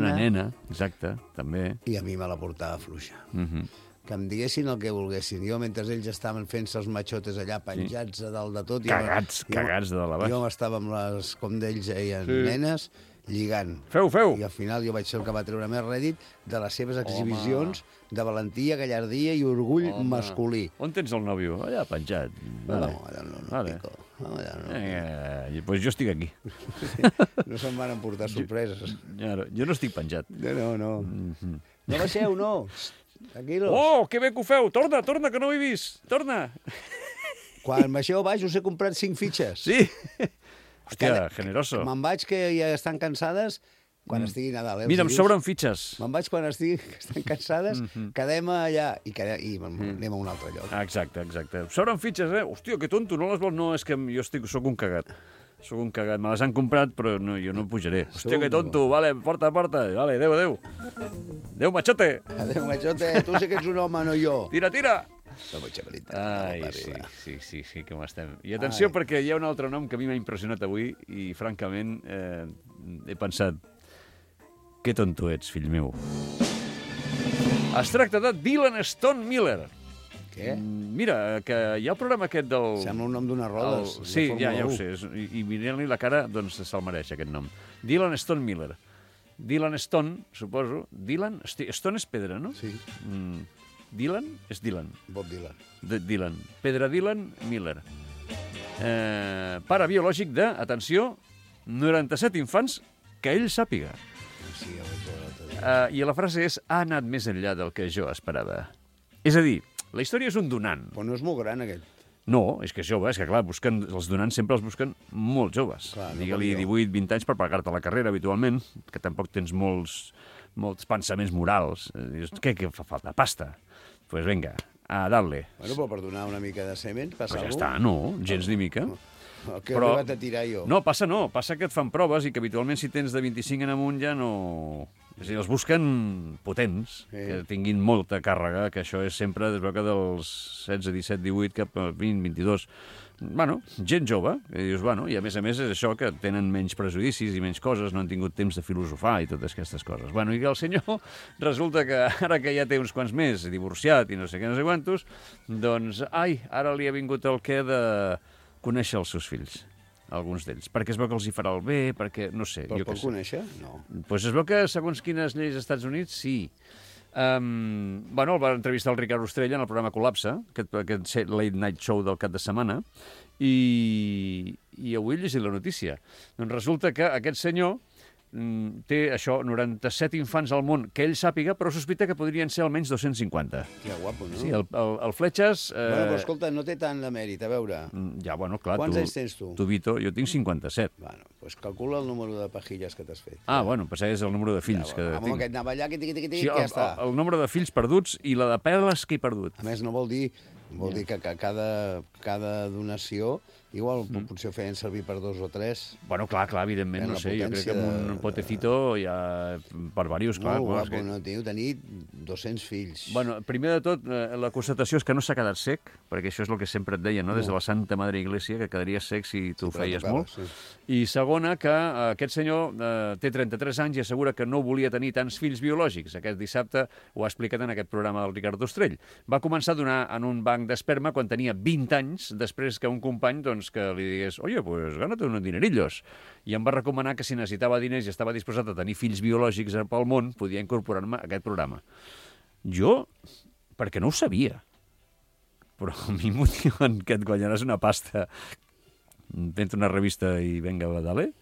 F: Una nena, exacte, també.
G: I a mi me la portava fluixa.
F: Mm-hmm.
G: Que em diguessin el que volguessin. Jo, mentre ells estaven fent-se els matxotes allà, penjats a dalt de tot...
F: Cagats de la baix.
G: Jo estava amb les, com d'ells deien, nenes, lligant.
F: Feu!
G: I al final jo vaig ser el que va treure més rèdit de les seves exhibicions de valentia, gallardia i orgull masculí.
F: On tens el nòvio? Allà penjat.
G: No,
F: Vale.
G: pico.
F: Pues jo estic aquí.
G: No se'n van emportar sorpreses.
F: Jo no estic penjat.
G: No. No baixeu, no. Tranquilos.
F: Oh, que bé que ho feu! Torna, que no ho he vist! Torna!
G: Quan baixeu baix us he comprat 5 fitxes.
F: Sí! Hòstia, generoso.
G: Me'n vaig, que ja estan cansades, quan estigui Nadal.
F: Mira, em sobren fitxes.
G: Me'n vaig quan estan cansades, quedem allà i anem a un altre lloc.
F: Exacte. Em sobren fitxes, Hòstia, que tonto, no les vols? No, és que jo sóc un cagat. Me les han comprat, però no, jo no pujaré. Hòstia, que tonto, vale, porta. Vale, adéu. Adéu, machote.
G: Adéu, machote, tu sí que ets un home, no jo.
F: Tira.
G: No vaig veritat.
F: Ai, sí, com estem. I atenció, perquè hi ha un altre nom que a mi m'ha impressionat avui i, francament, he pensat, que tonto ets, fill meu. Es tracta de Dylan Stone Miller.
G: Què?
F: Mira, que hi ha el programa aquest del...
G: Sembla un nom d'unes rodes.
F: Sí, ja ho sé. I mirant-li la cara, doncs se'l mereix, aquest nom. Dylan Stone Miller. Dylan Stone, suposo. Dylan? Stone és pedra, no?
G: Sí.
F: Dylan és Dylan.
G: Bob Dylan.
F: Dylan. Pedra Dylan Miller. Pare biològic de, atenció, 97 infants que ell sàpiga.
G: Sí, ja vaig veure l'altre dia.
F: I la frase és, ha anat més enllà del que jo esperava. És a dir, la història és un donant.
G: Però no és molt gran, aquest.
F: No, és que és jove, és que clar, els donants sempre els busquen molt joves.
G: Clar, no
F: Digue-li
G: com jo.
F: 18, 20 anys per pagar-te la carrera habitualment, que tampoc tens molts pensaments morals. Dius, què fa falta? Pasta. Doncs pues vinga, a darle.
G: Bueno, però per donar una mica de semen, passa
F: Pues ja
G: alguna
F: està, no, gens ni mica.
G: El que he arribat a tirar jo.
F: No, passa que et fan proves i que habitualment si tens de 25 en amunt ja no... És a dir, els busquen potents, que tinguin molta càrrega, que això és sempre, es veu que dels 16, 17, 18 cap a 20, 22... Bueno, gent jove, i dius, bueno, i a més és això, que tenen menys prejudicis i menys coses, no han tingut temps de filosofar i totes aquestes coses. Bueno, i que el senyor resulta que ara que ja té uns quants més, divorciat i no sé què, no sé quantos, doncs, ara li ha vingut el què de conèixer els seus fills, alguns d'ells, perquè es veu que els hi farà el bé, perquè, no sé...
G: Però pot conèixer? No.
F: Doncs es veu que, segons quines lleis als Estats Units, sí. Bueno, el va entrevistar el Ricard Ostrella en el programa Col·lapse, aquest late night show del cap de setmana, i avui he llegit la notícia. Doncs resulta que aquest senyor té, això, 97 infants al món que ell sàpiga, però sospita que podrien ser almenys 250.
G: Que guapo, no?
F: Sí, el Fletxes...
G: Bueno, però escolta, no té tant de mèrit, a veure.
F: Ja, bueno, clar,
G: Quants anys tens tu?
F: Tu, Vito, jo tinc 57.
G: Bueno, doncs calcula el número de pajilles que t'has fet.
F: Bueno, pues és el número de fills que
G: Amb
F: tinc.
G: aquest anava allà,
F: Sí,
G: ja està.
F: el número de fills perduts i la de perles que he perdut.
G: A més, no vol dir Vol dir que cada donació igual potser ho feien servir per 2 o 3.
F: Bueno, clar, evidentment,
G: En
F: no
G: la
F: sé, jo crec que
G: potència
F: amb un potecito hi ha per diversos, clar.
G: Molt
F: clar,
G: guapo, no? Teniu tenir 200 fills.
F: Bueno, primer de tot, la constatació és que no s'ha quedat sec, perquè això és el que sempre et deien, no? Des de la Santa Madre Iglesia, que quedaries sec si tu feies molt.
G: Sí.
F: I segona, que aquest senyor té 33 anys i assegura que no volia tenir tants fills biològics. Aquest dissabte ho ha explicat en aquest programa del Ricard Ostrell. Va començar a donar en un banc d'esperma quan tenia 20 anys, després que un company doncs, que li digués «Oye, pues gánate unos dinerillos». I em va recomanar que si necessitava diners i estava disposat a tenir fills biològics pel món, podia incorporar-me a aquest programa. Jo, perquè no ho sabia, però a mi m'ho diuen que et guanyaràs una pasta fent una revista i venga, dale.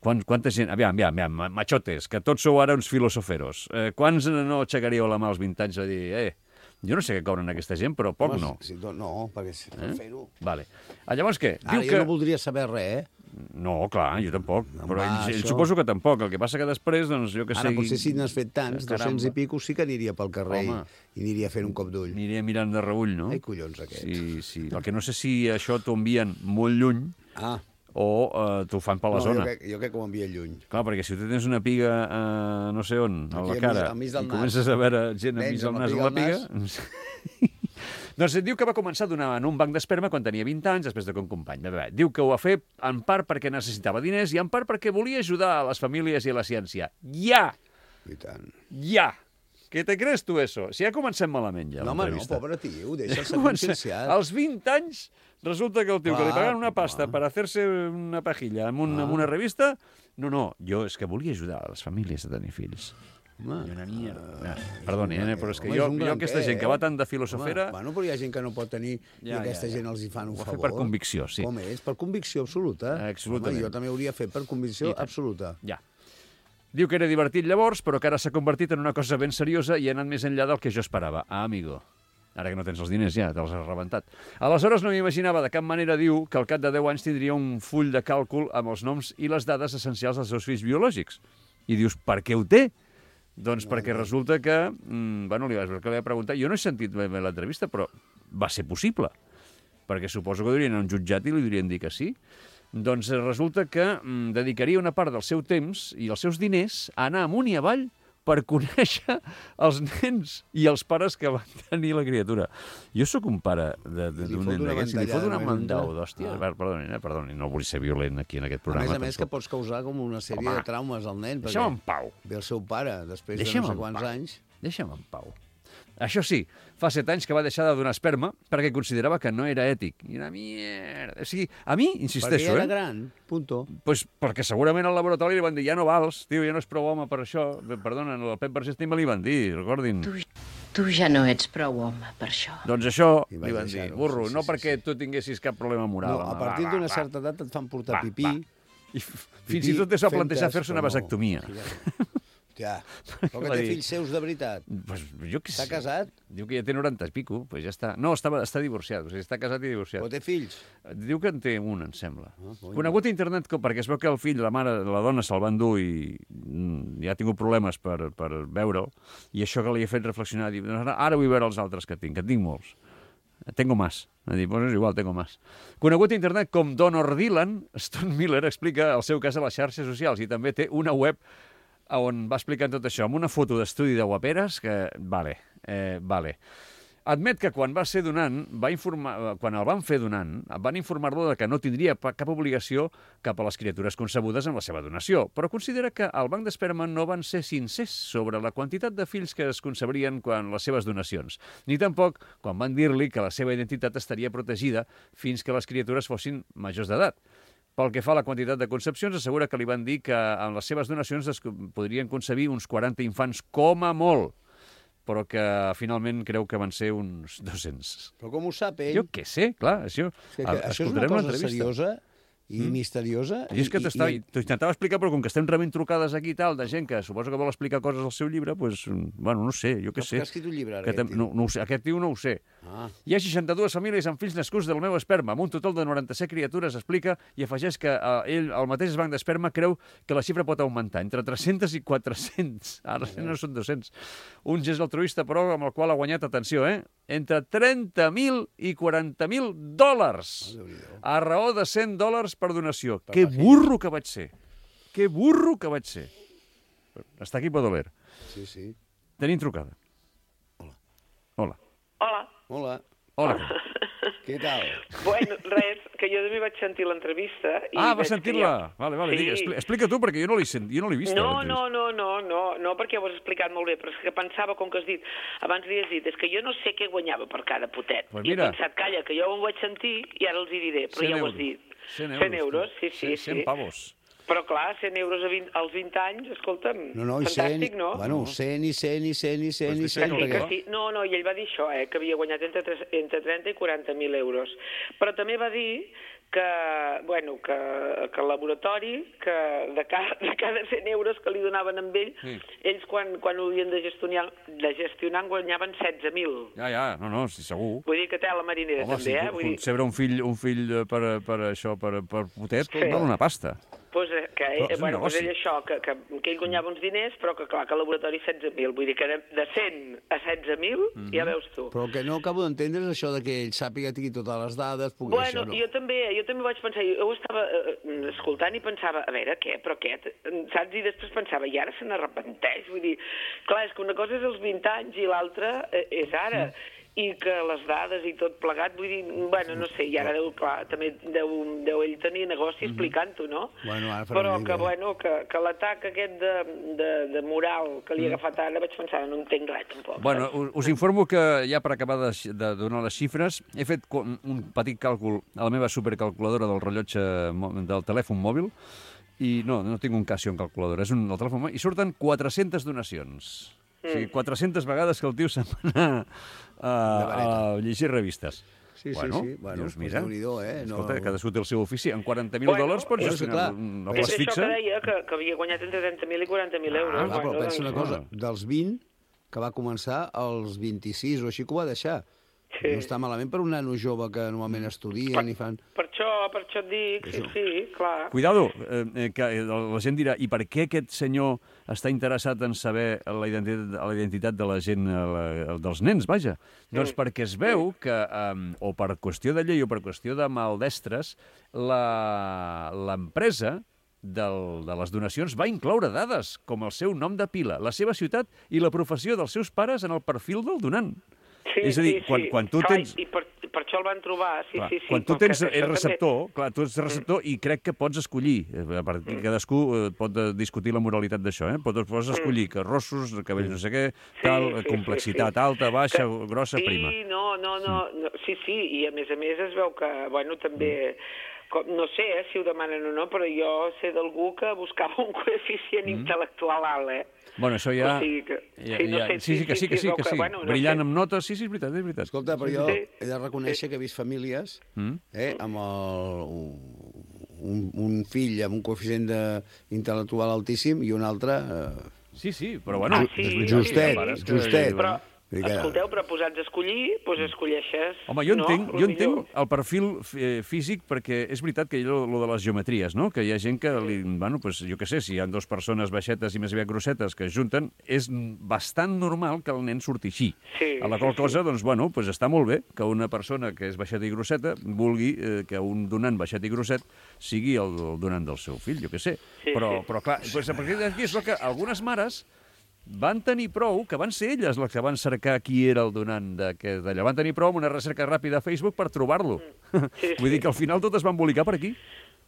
F: Quanta gent... Aviam, machotes, que tots sou ara uns filosoferos. Quants no aixecaríeu la mà als 20 anys a dir jo no sé què cobren aquesta gent, però poc no.
G: No, perquè per fer-ho...
F: Vale. Llavors què?
G: Ara jo no voldria saber res,
F: No, clar, jo tampoc. Però ell
G: això...
F: suposo que tampoc. El que passa que després, doncs, jo que sé...
G: Ara, potser si n'has fet tants, 200 i pico, sí que aniria pel carrer i aniria fent un cop d'ull.
F: Aniria mirant de reull, no?
G: Ai, collons, aquest.
F: Sí. El que no sé si això t'ho envien molt lluny o t'ho fan per la zona.
G: Jo crec que ho envien lluny.
F: Clar, perquè si tu tens una piga no sé on, a la cara, i comences a veure gent amb mig al nas amb la piga... Doncs diu que va començar a donar en un banc d'esperma quan tenia 20 anys, després de que un company. Diu que ho va fer en part perquè necessitava diners i en part perquè volia ajudar a les famílies i a la ciència. Ja!
G: I tant.
F: Ja! ¿Qué te crees tu eso? Si ja comencem malament, ja, l'entrevista.
G: No, pobre tio, deixa'l ser conscienciat.
F: Als 20 anys resulta que el tio que li pagaven una pasta per fer-se una pajilla amb una revista... No, jo és que volia ajudar a les famílies a tenir fills. I una mierda. Perdoni, però és que jo aquesta gent que va tant de filosofera...
G: Bueno, però hi ha gent que no pot tenir i aquesta gent els hi fan un favor.
F: Ho va fer per convicció, sí.
G: Com és? Per convicció absoluta.
F: Absolutament.
G: Jo també hauria fet per convicció absoluta.
F: Ja. Diu que era divertit llavors, però que ara s'ha convertit en una cosa ben seriosa i ha anat més enllà del que jo esperava. Amigo. Ara que no tens els diners ja, te'ls has rebentat. Aleshores no m'imaginava de cap manera, diu, que al cap de 10 anys tindria un full de càlcul amb els noms i les dades essencials dels seus fills biològics. I dius, per què ho té? Doncs perquè resulta que... Bueno, li vaig preguntar... Jo no he sentit bé l'entrevista, però va ser possible. Perquè suposo que durien a un jutjat i li durien dir que sí. Doncs resulta que dedicaria una part del seu temps i els seus diners a anar amunt i avall per conèixer els nens i els pares que van tenir la criatura. Jo sóc un pare d'un nen d'aquests i li fot una mandau d'hòstia. Perdoni, no vull ser violent aquí en aquest programa.
G: A més que pots causar com una sèrie de traumes al nen.
F: Deixa'm en pau.
G: Ve el seu pare, després de no sé quants anys.
F: Deixa'm en pau. Això sí, fa 7 anys que va deixar de donar esperma perquè considerava que no era ètic. I una mierda. O sigui, a mi, insisteixo...
G: Perquè era gran, punto.
F: Pues perquè segurament al laboratori li van dir ja no vals, tio, ja no és prou home per això. Perdona, el Pep Vergés també li van dir, recordin.
I: Tu ja no ets prou home per això.
F: Doncs això li van dir, burro, no perquè tu tinguessis cap problema moral.
G: No, a partir d'una certa edat et fan portar pipí.
F: I fins i tot es va plantejar fer-se una vasectomia.
G: Ja, però que té fills seus de veritat.
F: Pues jo què sé.
G: Està casat?
F: Diu que ja té 90 i pico, pues ja està. No, està divorciat, o sigui, està casat i divorciat.
G: Però té fills?
F: Diu que en té un, em sembla. Conegut a internet perquè es veu que el fill, la mare, la dona se'l van dur i ja ha tingut problemes per veure'l, i això que li ha fet reflexionar, diu, ara vull veure els altres que tinc molts. Tengo más. Pues és igual, tengo más. Conegut a internet com Donor Dylan, Stone Miller explica el seu cas a les xarxes socials i també té una web on va explicant tot això, amb una foto d'estudi de guaperes que, vale. Admet que quan va ser donant, quan el van fer donant, van informar-lo que no tindria cap obligació cap a les criatures concebudes en la seva donació, però considera que al banc d'esperma no van ser sincers sobre la quantitat de fills que es concebrien quan les seves donacions, ni tampoc quan van dir-li que la seva identitat estaria protegida fins que les criatures fossin majors d'edat. Pel que fa a la quantitat de concepcions, assegura que li van dir que en les seves donacions es podrien concebir uns 40 infants com a molt, però que finalment creu que van ser uns 200.
G: Però com ho sap ell?
F: Jo què sé, clar, això...
G: Això és una cosa seriosa i misteriosa.
F: I és que t'intentava explicar, però com que estem rebent trucades aquí i tal, de gent que suposo que vol explicar coses al seu llibre, doncs, bueno, no sé, jo què sé.
G: Que ha escrit un llibre ara, aquest tio?
F: No ho sé, aquest tio no ho sé. Hi ha 62 famílies amb fills nascuts del meu esperma, amb un total de 97 criatures, explica, i afegeix que ell, el mateix banc d'esperma, creu que la xifra pot augmentar entre 300 i 400. Ara no són 200. Un gest altruista, però, amb el qual ha guanyat, atenció, entre 30.000 i 40.000 dòlars, a raó de $100 per donació. Que burro que vaig ser. Que burro que vaig ser. Està aquí Badoler.
G: Sí, sí.
F: Tenim trucada. Hola.
J: Hola.
G: Hola.
F: Hola.
G: Què tal?
J: Bueno, res, que jo també vaig sentir l'entrevista.
F: Va sentir-la. Vale,
J: Sí.
F: Explica tu, perquè jo no l'he vist.
J: No, perquè ho has explicat molt bé, però és que pensava, com que has dit, abans li has dit, és que jo no sé què guanyava per cada potet.
F: Pues
J: I he
F: mira.
J: pensat, calla, que jo ho vaig sentir i ara els hi diré, però ja ho has dit. 100 euros, sí.
F: 100 pavos.
J: Però clar, 100 euros als 20 anys, escolta'm,
G: No, i
J: fantàstic, no?
G: Bueno, 100 i 100 i 100 i 100 i 100.
J: Que sí. No, i ell va dir això, que havia guanyat entre 30 i 40.000 euros. Però també va dir que el laboratori, que de cada 100 euros que li donaven amb ell, ells quan ho havien de gestionar en guanyaven 16.000.
F: Ja, no, sí, segur.
J: Vull dir que té la marinera,
F: Home,
J: també,
F: si concebre un fill per potet, val una pasta.
J: Pues que
F: és un negoci.
J: ell això, que ell guanyava uns diners, però que clar, que el laboratori 16.000, vull dir que de 100 a 16.000, ja veus tu.
G: Però el que no acabo d'entendre és això de que ell sàpiga tingui totes les dades, pugui això, no?
J: Jo també vaig pensar, jo ho estava escoltant i pensava, a veure, què, saps? I després pensava, i ara se n'arrepenteix, vull dir, clar, és que una cosa és els 20 anys i l'altra és ara. I que les dades i tot plegat, vull dir, no sé, i ara també deu ell tenir negoci explicant-ho, no? Però que l'atac aquest de moral que li ha agafat ara, vaig pensar, no entenc res, tampoc.
F: Bueno, us informo que ja per acabar de donar les xifres, he fet un petit càlcul a la meva supercalculadora del rellotge del telèfon mòbil, i no tinc un Casio en calculadora, és el telèfon mòbil, i surten 400 donacions. O sigui, 400 vegades que el tio se'n va anar a llegir revistes.
G: Sí. Bueno,
F: dius, mira,
G: Déu-n'hi-do,
F: escolta, cadascú té el seu ofici. En 40.000 dòlars pots gestionar una plaça fixa.
J: És això que deia, que havia guanyat entre 30.000 i 40.000 euros.
G: Però pensa una cosa, dels 20, que va començar als 26 o així que ho va deixar. No està malament per un nano jove que normalment estudien i fan...
J: Per això et dic, sí, clar.
F: Cuidado, que la gent dirà, i per què aquest senyor està interessat en saber la identitat de la gent, dels nens, vaja? Doncs perquè es veu que, o per qüestió de llei o per qüestió de maldestres, l'empresa de les donacions va incloure dades, com el seu nom de pila, la seva ciutat i la professió dels seus pares en el perfil del donant. És a dir, quan tu tens...
J: I per això el van trobar, sí.
F: Quan tu tens receptor, tu ets receptor i crec que pots escollir, cadascú pot discutir la moralitat d'això, pots escollir que rossos, cabells no sé què, tal, complexitat alta, baixa, grossa, prima.
J: Sí, i a més es veu que, també... No sé si ho demanen o no, però jo sé d'algú que buscava un coeficient intel·lectual alt,
F: Bueno, això ja... Sí, que sí. Brillant amb notes, sí, és veritat.
G: Escolta, però jo he de reconèixer que he vist famílies amb un fill amb un coeficient intel·lectual altíssim i un altre...
F: Sí, però bueno...
G: Justet.
J: Escolteu, però posats a escollir, doncs escolleixes...
F: Home, jo entenc el perfil físic, perquè és veritat que hi ha lo de les geometries, no? Que hi ha gent que, jo què sé, si hi ha dues persones baixetes i més aviat grossetes que es junten, és bastant normal que el nen surti així. A la qual cosa, doncs està molt bé que una persona que és baixeta i grosseta vulgui que un donant baixet i grosset sigui el donant del seu fill, jo què sé. Però clar, a partir d'aquí és que algunes mares van tenir prou, que van ser elles les que van cercar qui era el donant d'allò. Van tenir prou amb una recerca ràpida a Facebook per trobar-lo. Vull dir que al final tot es va embolicar per aquí.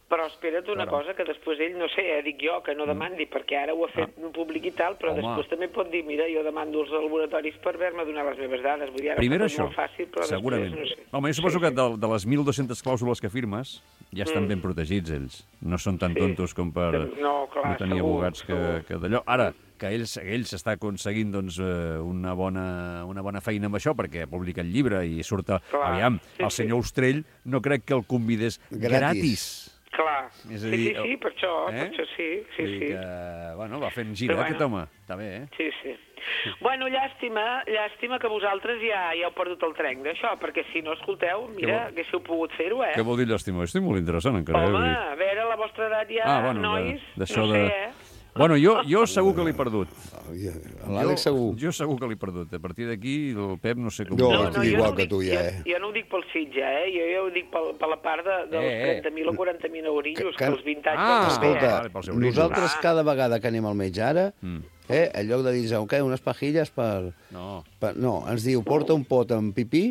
J: Però espera't una cosa, que després ell, no sé, dic jo, que no demandi, perquè ara ho ha fet públic i tal, però després també pot dir, mira, jo demando als laboratoris per haver-me donat les meves dades. Vull dir, ara
F: primer
J: és
F: això,
J: molt fàcil, però
F: segurament.
J: Després, no sé.
F: Home, jo suposo que de les 1.200 clàusules que firmes ja estan ben protegits, ells. No són tan tontos com per no tenir abogats que d'allò. Ara, que ells està aconseguint una bona feina amb això, perquè publica el llibre i surt... Aviam, el senyor Ostrell no crec que el convidés gratis.
J: Clar.
F: És a dir,
J: Sí, per això sí.
F: Vull dir que, bueno, va fent gira, aquest home. Està bé, eh?
J: Sí. Bueno, llàstima que vosaltres ja heu perdut el tren d'això, perquè si no, escolteu, mira, haguéssiu pogut fer-ho, eh?
F: Què vol dir llàstima? Estic molt interessant, encara.
J: Home, a veure, a la vostra edat ja, nois,
F: d'això
J: no sé,
F: Bueno, jo segur que l'he perdut.
G: L'Àlex segur.
F: Jo segur que l'he perdut. A partir d'aquí, el Pep no sé com...
G: Jo estic igual que tu, ja,
J: Jo no ho dic pel Sitja, jo ho dic per la part dels 30.000 o 40.000 eurillos, que els 20 anys...
G: Escolta, nosaltres cada vegada que anem al metge ara, en lloc de dir, unes pajilles per... No, ens diu, porta un pot amb pipí,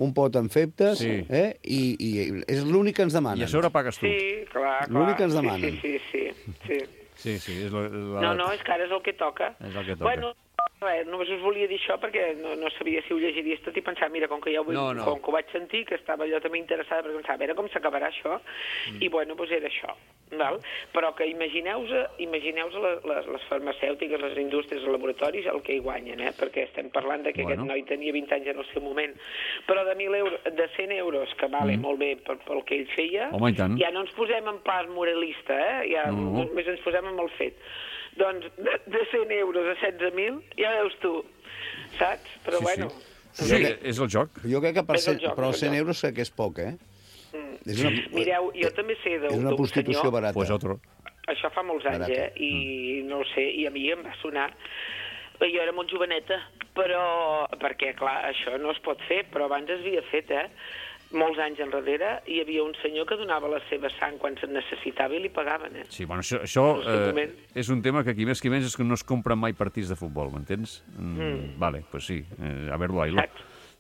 G: un pot amb feptes, i és l'únic que ens demanen.
F: I a sobre pagues tu.
J: Sí, clar.
G: L'únic que ens demanen.
J: Sí.
F: És
J: No, és que ara és el que toca.
F: És el que toca.
J: Bueno, només us volia dir això perquè no sabia si ho llegiries tot i pensar, mira, com que ja com que ho vaig sentir, que estava allò també interessada, perquè pensava, a veure com s'acabarà això, i bueno, doncs era això. Val? Però que imagineu-vos les farmacèutiques, les indústries, els laboratoris, el que hi guanyen, perquè estem parlant de que aquest noi tenia 20 anys en el seu moment, però de 100 euros, que vale molt bé pel que ell feia, ja no ens posem en pas moralista, ja només ens posem en el fet. Doncs de 100 euros a 16.000, ja veus tu, saps? Però bueno...
F: Sí, és el joc.
G: Jo crec que però 100 euros crec que és poc,
J: Mireu, jo també sé d'un senyor...
G: És una prostitució barata.
F: Pues otro.
J: Això fa molts anys, i no ho sé, i a mi em va sonar... Jo era molt joveneta, però... Perquè, clar, això no es pot fer, però abans es havia fet, molts anys enrere, hi havia un senyor que donava la seva sang quan se'n necessitava i li pagaven,
F: Sí, bueno, això és un tema que aquí més que menys és que no es compren mai partits de futbol, m'entens? Vale, pues sí, a ver-lo ahí.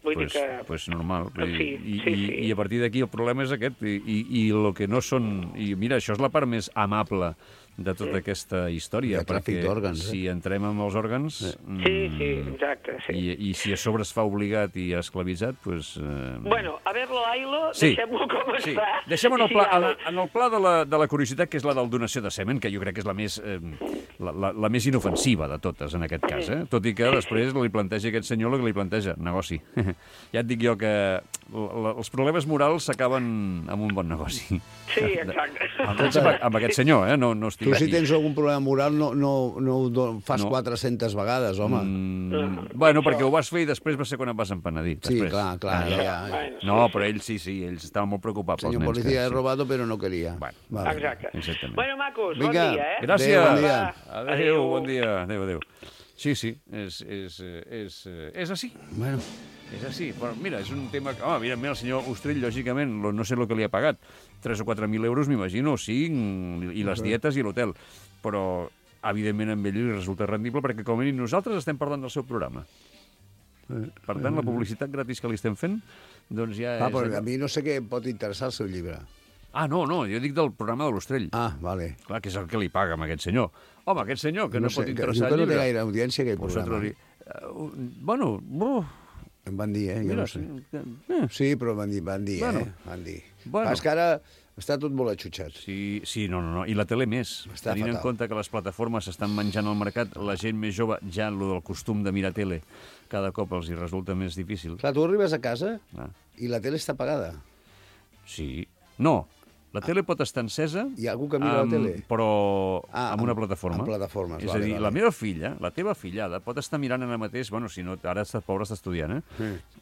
F: Pues normal. I a partir d'aquí el problema és aquest, i el que no són... I mira, això és la part més amable de tota aquesta història, perquè si entrem amb els òrgans...
J: exacte,
F: I si a sobre es fa obligat i esclavitzat, doncs...
J: Bueno, a ver-lo, Ailo, deixem-ho com està.
F: Deixem-ho en el pla de la curiositat, que és la del donació de semen, que jo crec que és la més inofensiva de totes, en aquest cas, tot i que després li planteja aquest senyor el que li planteja, negoci. Ja et dic jo que els problemes morals s'acaben amb un bon negoci.
J: Sí, exacte.
F: Amb aquest senyor, no estic...
G: Tu si tens algun problema moral no ho fas 400 vegades, home.
F: Bueno, perquè ho vas fer i després va ser quan et vas empenedir.
G: Sí, clar.
F: No, però ell sí, ells estaven molt preocupats pels nens.
G: Senyor policía, he robado, però no queria.
J: Exacte. Bueno, macos, bon dia,
F: Gràcies. Adéu, bon dia. Adéu. Sí, és així.
G: Bueno.
F: És així, però mira, és un tema... Evidentment, el senyor Ostrell, lògicament, no sé el que li ha pagat, 3 o 4.000 euros, m'imagino, 5, i les dietes i l'hotel. Però, evidentment, amb ell li resulta rendible, perquè com a mínim nosaltres estem parlant del seu programa. Per tant, la publicitat gratis que li estem fent, doncs ja és...
G: Però a mi no sé què pot interessar el seu llibre.
F: No, jo dic del programa de l'Ostrell.
G: Vale.
F: Clar, que és el que li paga a aquest senyor. Home, aquest senyor, que no pot interessar el llibre...
G: Jo que no té gaire audiència, aquell programa.
F: Bueno...
G: Em van dir, jo no sé. Sí, però van dir, Van dir. És que ara està tot molt atxutxat.
F: Sí, no. I la tele més. Tenint en compte que les plataformes s'estan menjant al mercat, la gent més jove, ja el del costum de mirar tele, cada cop els hi resulta més difícil.
G: Clar, tu arribes a casa i la tele està apagada.
F: Sí. No. La tele pot estar encesa...
G: Hi ha algú que mira la tele?
F: Però amb una plataforma.
G: Amb plataformes,
F: és a dir, la meva filla, la teva fillada, pot estar mirant ara mateix... Bueno, si no, ara pobra està estudiant,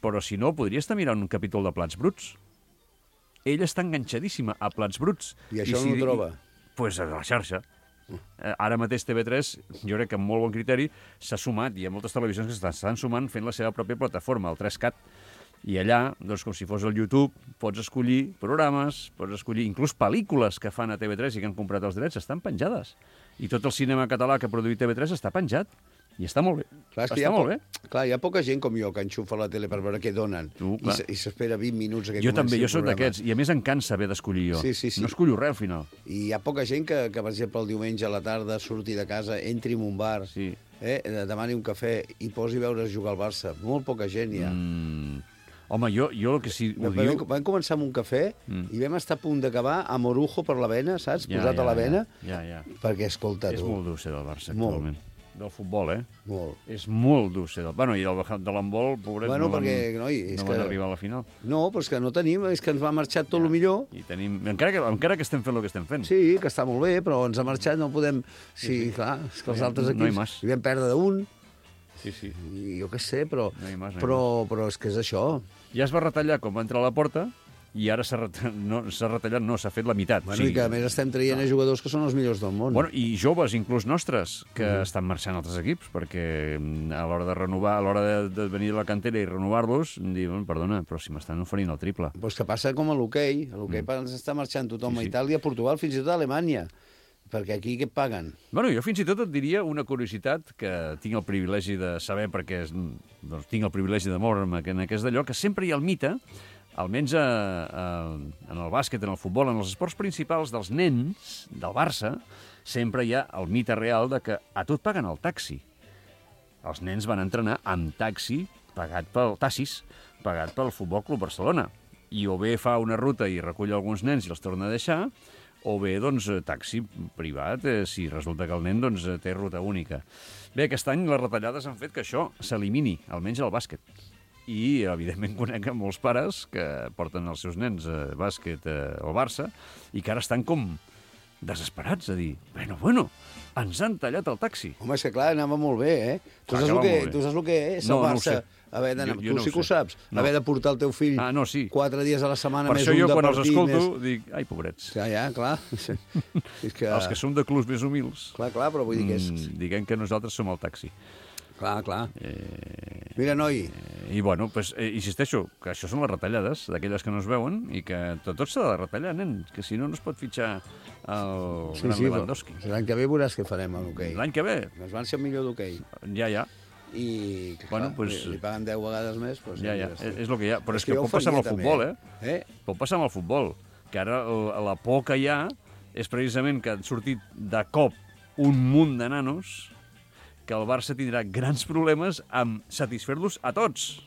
F: Però si no, podria estar mirant un capítol de Plats Bruts. Ella està enganxadíssima a Plats Bruts.
G: I això no ho troba?
F: Doncs a la xarxa. Ara mateix TV3, jo crec que amb molt bon criteri, s'ha sumat, i hi ha moltes televisions que s'estan sumant fent la seva pròpia plataforma, el 3CAT. I allà, doncs, com si fos el YouTube, pots escollir programes, pots escollir inclús pel·lícules que fan a TV3 i que han comprat els drets, estan penjades. I tot el cinema català que ha produït TV3 està penjat. I està molt bé.
G: Clar, hi ha poca gent com jo que enxufa la tele per veure què donen. I s'espera 20 minuts que
F: jo també, jo soc d'aquests. I a més em cansa haver d'escollir jo.
G: Sí.
F: No escollo res al final.
G: I hi ha poca gent que per exemple, el diumenge a la tarda surti de casa, entri en un bar, demani un cafè i posi a veure jugar al Barça. Molt poca gent hi ha.
F: Home, jo el que sí ho diu...
G: Vam començar amb un cafè i vam estar a punt d'acabar amb orujo per la vena, saps? Posat a la vena.
F: Ja.
G: Perquè, escolta,
F: és molt dur ser del Barça, actualment. del futbol,
G: Molt.
F: És molt dur ser Bueno, i de l'handbol, pobret,
G: Bueno,
F: no
G: perquè, noi, és
F: no
G: que...
F: van arribar a la final.
G: No, però és que no tenim, és que ens va marxar tot el millor.
F: I tenim... Encara que estem fent el que estem fent.
G: Sí, que està molt bé, però ens ha marxat, no podem... Sí, clar, és que els altres
F: No hi
G: equips...
F: mas.
G: Hi vam perdre d'un,
F: Sí.
G: i jo què sé, però...
F: No hi mas,
G: Però és que és això.
F: Ja es va retallar quan va entrar a la porta i ara s'ha retallat, no, s'ha fet la meitat.
G: Bueno, i que a més estem traient a jugadors que són els millors del món.
F: Bueno, i joves, inclús nostres, que estan marxant a altres equips, perquè a l'hora de renovar, a l'hora de venir de la cantera i renovar-los, diuen, perdona, però si m'estan oferint el triple.
G: Pues que passa com a l'hoquei. A l'hoquei està marxant tothom a Itàlia, a Portugal, fins i tot a Alemanya. Perquè aquí què et paguen?
F: Bueno, jo fins i tot et diria una curiositat que tinc el privilegi de saber, perquè doncs, tinc el privilegi de moure'm en aquest d'allò, que sempre hi ha el mite, almenys en el bàsquet, en el futbol, en els esports principals dels nens del Barça, sempre hi ha el mite real de que a tu et paguen el taxi. Els nens van entrenar amb taxi pagat pel Tassis, pagat pel Futbol Club Barcelona. I o bé fa una ruta i recull alguns nens i els torna a deixar, o bé, doncs, taxi privat, si resulta que el nen doncs, té ruta única. Bé, aquest any les retallades han fet que això s'elimini, almenys al bàsquet. I, evidentment, conec molts pares que porten els seus nens a bàsquet al Barça i que ara estan com desesperats a dir, bueno, ens han tallat el taxi.
G: Home, és que clar, anava molt bé, Tu saps el que és el Barça? Tu sí que ho saps. Haver de portar el teu fill 4 dies a la setmana més un de partit.
F: Per això jo, quan els escolto, dic, ai, pobrets.
G: Ja, clar. És que...
F: Els que som de clubs més humils.
G: Clar, però vull dir que és...
F: Diguem que nosaltres som el taxi.
G: Clar. Mira, noi...
F: I, bueno, pues, insisteixo, que això són les retallades d'aquelles que no es veuen i que tot s'ha de retallar, nen, que si no, no es pot fitxar el gran Lewandowski.
G: L'any que ve veuràs què farem a l'hoquei.
F: L'any que ve?
G: Ens van ser el millor d'hoquei.
F: Ja.
G: I,
F: bueno,
G: clar, li paguen 10 vegades més. Doncs
F: ja, és el que hi ha. Però és que pot passar amb el futbol, Pot passar amb el futbol, que ara la por que hi ha és precisament que han sortit de cop un munt de nanos que el Barça tindrà grans problemes amb satisfer-los a tots.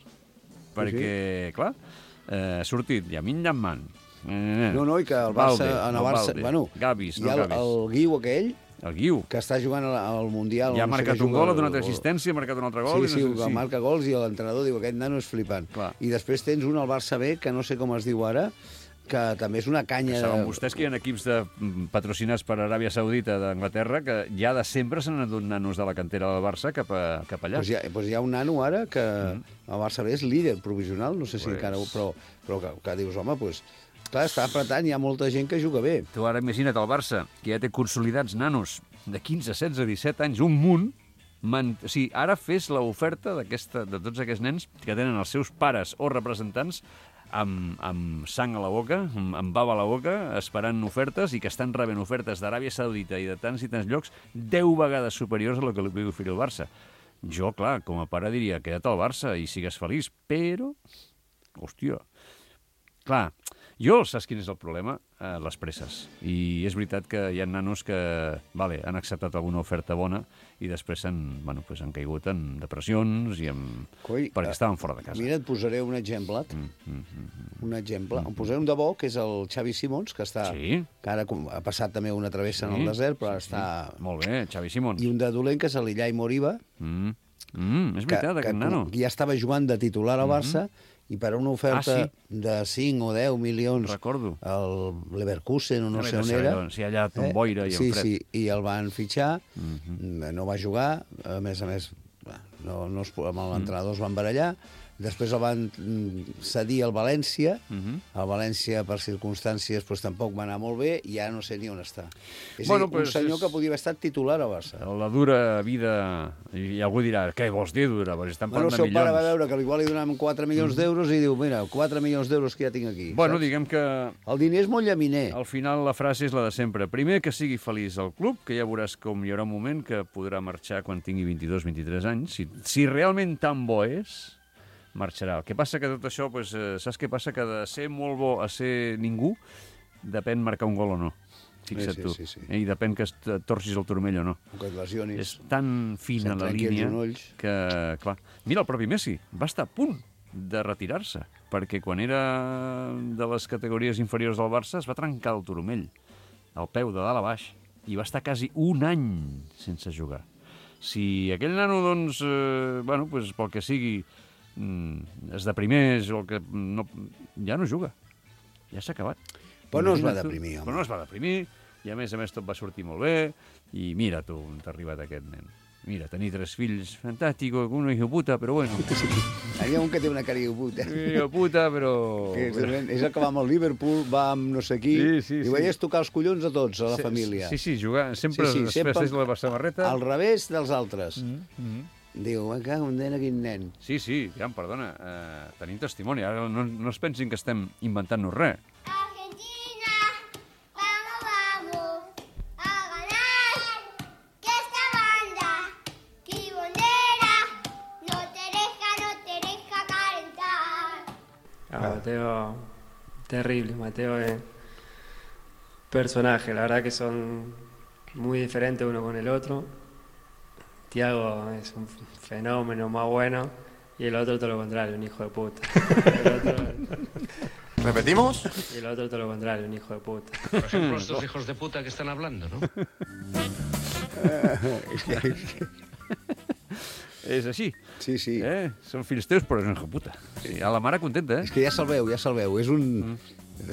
F: Perquè, clar, ha sortit Yamin Llaman.
G: No, i que el Barça... Bueno,
F: Gavis,
G: hi ha el Guiu aquell,
F: el Guiu,
G: que està jugant al Mundial.
F: Ja ha marcat un gol, ha donat assistència, ha marcat un altre gol.
G: Sí, marca gols i l'entrenador diu aquest nano és flipant. I després tens un al Barça B, que no sé com es diu ara, que també és una canya...
F: Saben vostès que hi ha equips patrocinats per Aràbia Saudita d'Anglaterra que ja de sempre s'han anat nanos de la cantera del Barça cap allà.
G: Doncs hi ha un nano ara que el Barça B és líder provisional, no sé si encara... Però que dius, home, doncs... Clar, està apretant, hi ha molta gent que juga bé.
F: Tu ara imagina't el Barça, que ja té consolidats nanos de 15, 16, 17 anys, un munt. O sigui, ara fes l'oferta de tots aquests nens que tenen els seus pares o representants amb sang a la boca, amb bava a la boca, esperant ofertes i que estan rebent ofertes d'Aràbia Saudita i de tants i tants llocs 10 vegades superiors a el que li pugui oferir el Barça. Jo, clar, com a pare diria, queda't al Barça i sigues feliç, però... Hòstia... Clar, saps quin és el problema? Les presses. I és veritat que hi ha nanos que han acceptat alguna oferta bona i després han caigut en depressions i perquè estaven fora de casa.
G: Mira, et posaré un exemple. Un exemple. Em posaré un de bo, que és el Xavi Simons, que ara ha passat també una travessa en el desert, però ara està...
F: Molt bé, Xavi Simons.
G: I un de dolent, que és l'Illai Moriba.
F: És veritat, aquest nano.
G: Que ja estava jugant de titular al Barça, i per una oferta de 5 o 10 milions al Leverkusen o no sé on era...
F: Si allà té un boira i un fred.
G: Sí, i el van fitxar, no va jugar, a més, amb l'entrenador es van barallar, després el van cedir al València, el València per circumstàncies tampoc va anar molt bé i ara no sé ni on està. És a dir, un senyor que podia haver estat titular al Barça.
F: La dura vida, i algú dirà, què vols dir dura? Estan parlant de milions.
G: El seu pare va veure que igual li donaven 4 milions d'euros i diu, mira, 4 milions d'euros que ja tinc aquí.
F: Bueno, diguem que...
G: El diner és molt llaminer.
F: Al final la frase és la de sempre. Primer, que sigui feliç al club, que ja veuràs com hi haurà un moment que podrà marxar quan tingui 22-23 anys. Si realment tan bo és... marxarà. El que passa que tot això, saps què passa? Que de ser molt bo a ser ningú, depèn marcar un gol o no. Fixa't tu. I depèn que torcis el turmell o no.
G: O que et lesionis.
F: És tan fina la línia que, clar... Mira, el propi Messi va estar a punt de retirar-se, perquè quan era de les categories inferiors del Barça es va trencar el turmell, el peu de dalt a baix, i va estar quasi un any sense jugar. Si aquell nano, doncs, bueno, pues, pel que sigui, es deprimeix o el que no, ja no juga. Ja s'ha acabat.
G: Però no es va
F: Imagina't tu.
G: deprimir, home.
F: Però no es va deprimir, i a més tot va sortir molt bé, i mira tu on t'ha arribat aquest nen. Mira, tenir 3 fills, fantàstico, un hijo puta, però bueno.
G: Hi ha un que té una cara de puta.
F: Hijo puta, però...
G: Que és el que va amb el Liverpool, va amb no sé qui,
F: Sí,
G: i ho veies tocar els collons a tots, a la família.
F: Sí, jugar. Sempre es vesteix la samarreta.
G: Al revés dels altres. Diu, me cago en quin nen.
F: Sí, ja, perdona, tenim testimoni. Ara no es pensin que estem inventant-nos res.
K: Mateo, terrible. Mateo es personaje, la verdad que son muy diferentes uno con el otro. Tiago es un fenómeno más bueno y el otro todo lo contrario, un hijo de puta.
L: ¿Repetimos?
K: Y el otro todo lo contrario, un hijo de puta.
M: Por ejemplo, estos hijos de puta que están hablando, ¿no?
F: És així.
G: Sí.
F: Són fills teus, però és un hijo de puta. Sí, a la mare contenta,
G: És que ja se'l veu. És un...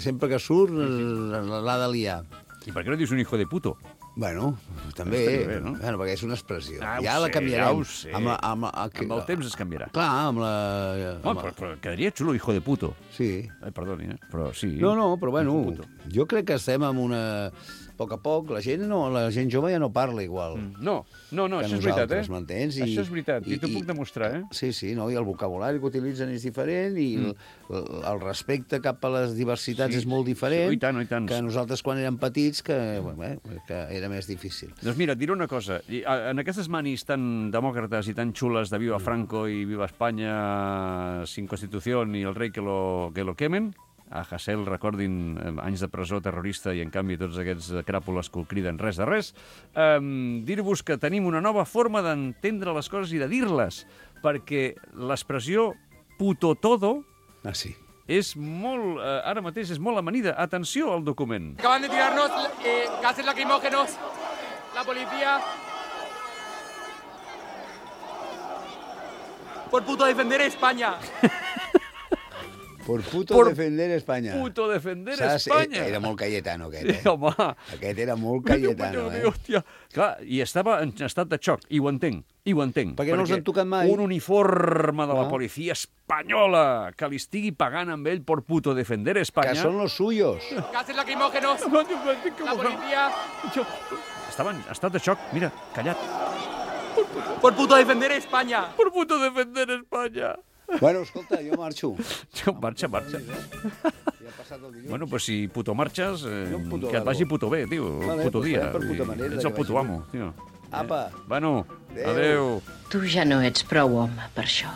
G: Sempre que surt l'ha de liar.
F: I per què no dius un hijo de puto?
G: Bueno, també,
F: bé, no?
G: Bueno, perquè és una expressió.
F: Ja
G: la canviarem.
F: Ja ho sé.
G: Amb
F: el temps es canviarà.
G: Clar, amb la...
F: Però quedaria xulo, hijo de puto.
G: Sí.
F: Perdoni, però sí.
G: No, però bueno, jo crec que estem amb una... A poc a poc, la gent jove ja no parla igual.
F: No, això és veritat,
G: m'entens?
F: Això és veritat, i t'ho puc demostrar,
G: Sí, no? I el vocabulari que utilitzen és diferent i el respecte cap a les diversitats és molt diferent.
F: I tant.
G: Que nosaltres quan érem petits, que era més difícil.
F: Doncs mira, et diré una cosa. En aquestes manis tan demòcrates i tan xules de Viva Franco i Viva Espanya, sin Constitución i el rei que lo quemen, a Hasél, recordin, anys de presó terrorista i, en canvi, tots aquests cràpules que ho criden res de res, dir-vos que tenim una nova forma d'entendre les coses i de dir-les, perquè l'expressió puto todo és molt, ara mateix és molt amanida. Atenció al document.
N: Acaban de tirarnos gases lacrimógenos. La policía... Por puto defender España.
G: Por puto defender Espanya.
F: Puto defender Espanya.
G: Era molt Cayetano, aquest,
F: Sí, home.
G: Aquest era molt Cayetano,
F: Hòstia. Clar, i estava en estat de xoc, i ho entenc.
G: Perquè no els han tocat mai.
F: Un uniforme de la policia espanyola que li estigui pagant amb ell por puto defender Espanya...
G: Que són los suyos.
N: Gases lacrimógenos. La policía...
F: Estava en estat de xoc, mira, callat.
N: Por puto defender España.
F: Por puto defender España.
G: Bueno, escolta, jo marxo.
F: Marxa.
G: Ja ha passat el dilluns.
F: Bueno, pues si puto marxes,
G: puto
F: que et vagi puto bé, tio.
G: Vale,
F: puto
G: pues
F: dia.
G: per puta manera.
F: Ets el puto amo, tio.
G: Apa.
F: Bueno, adeu.
I: Tu ja no ets prou home per això.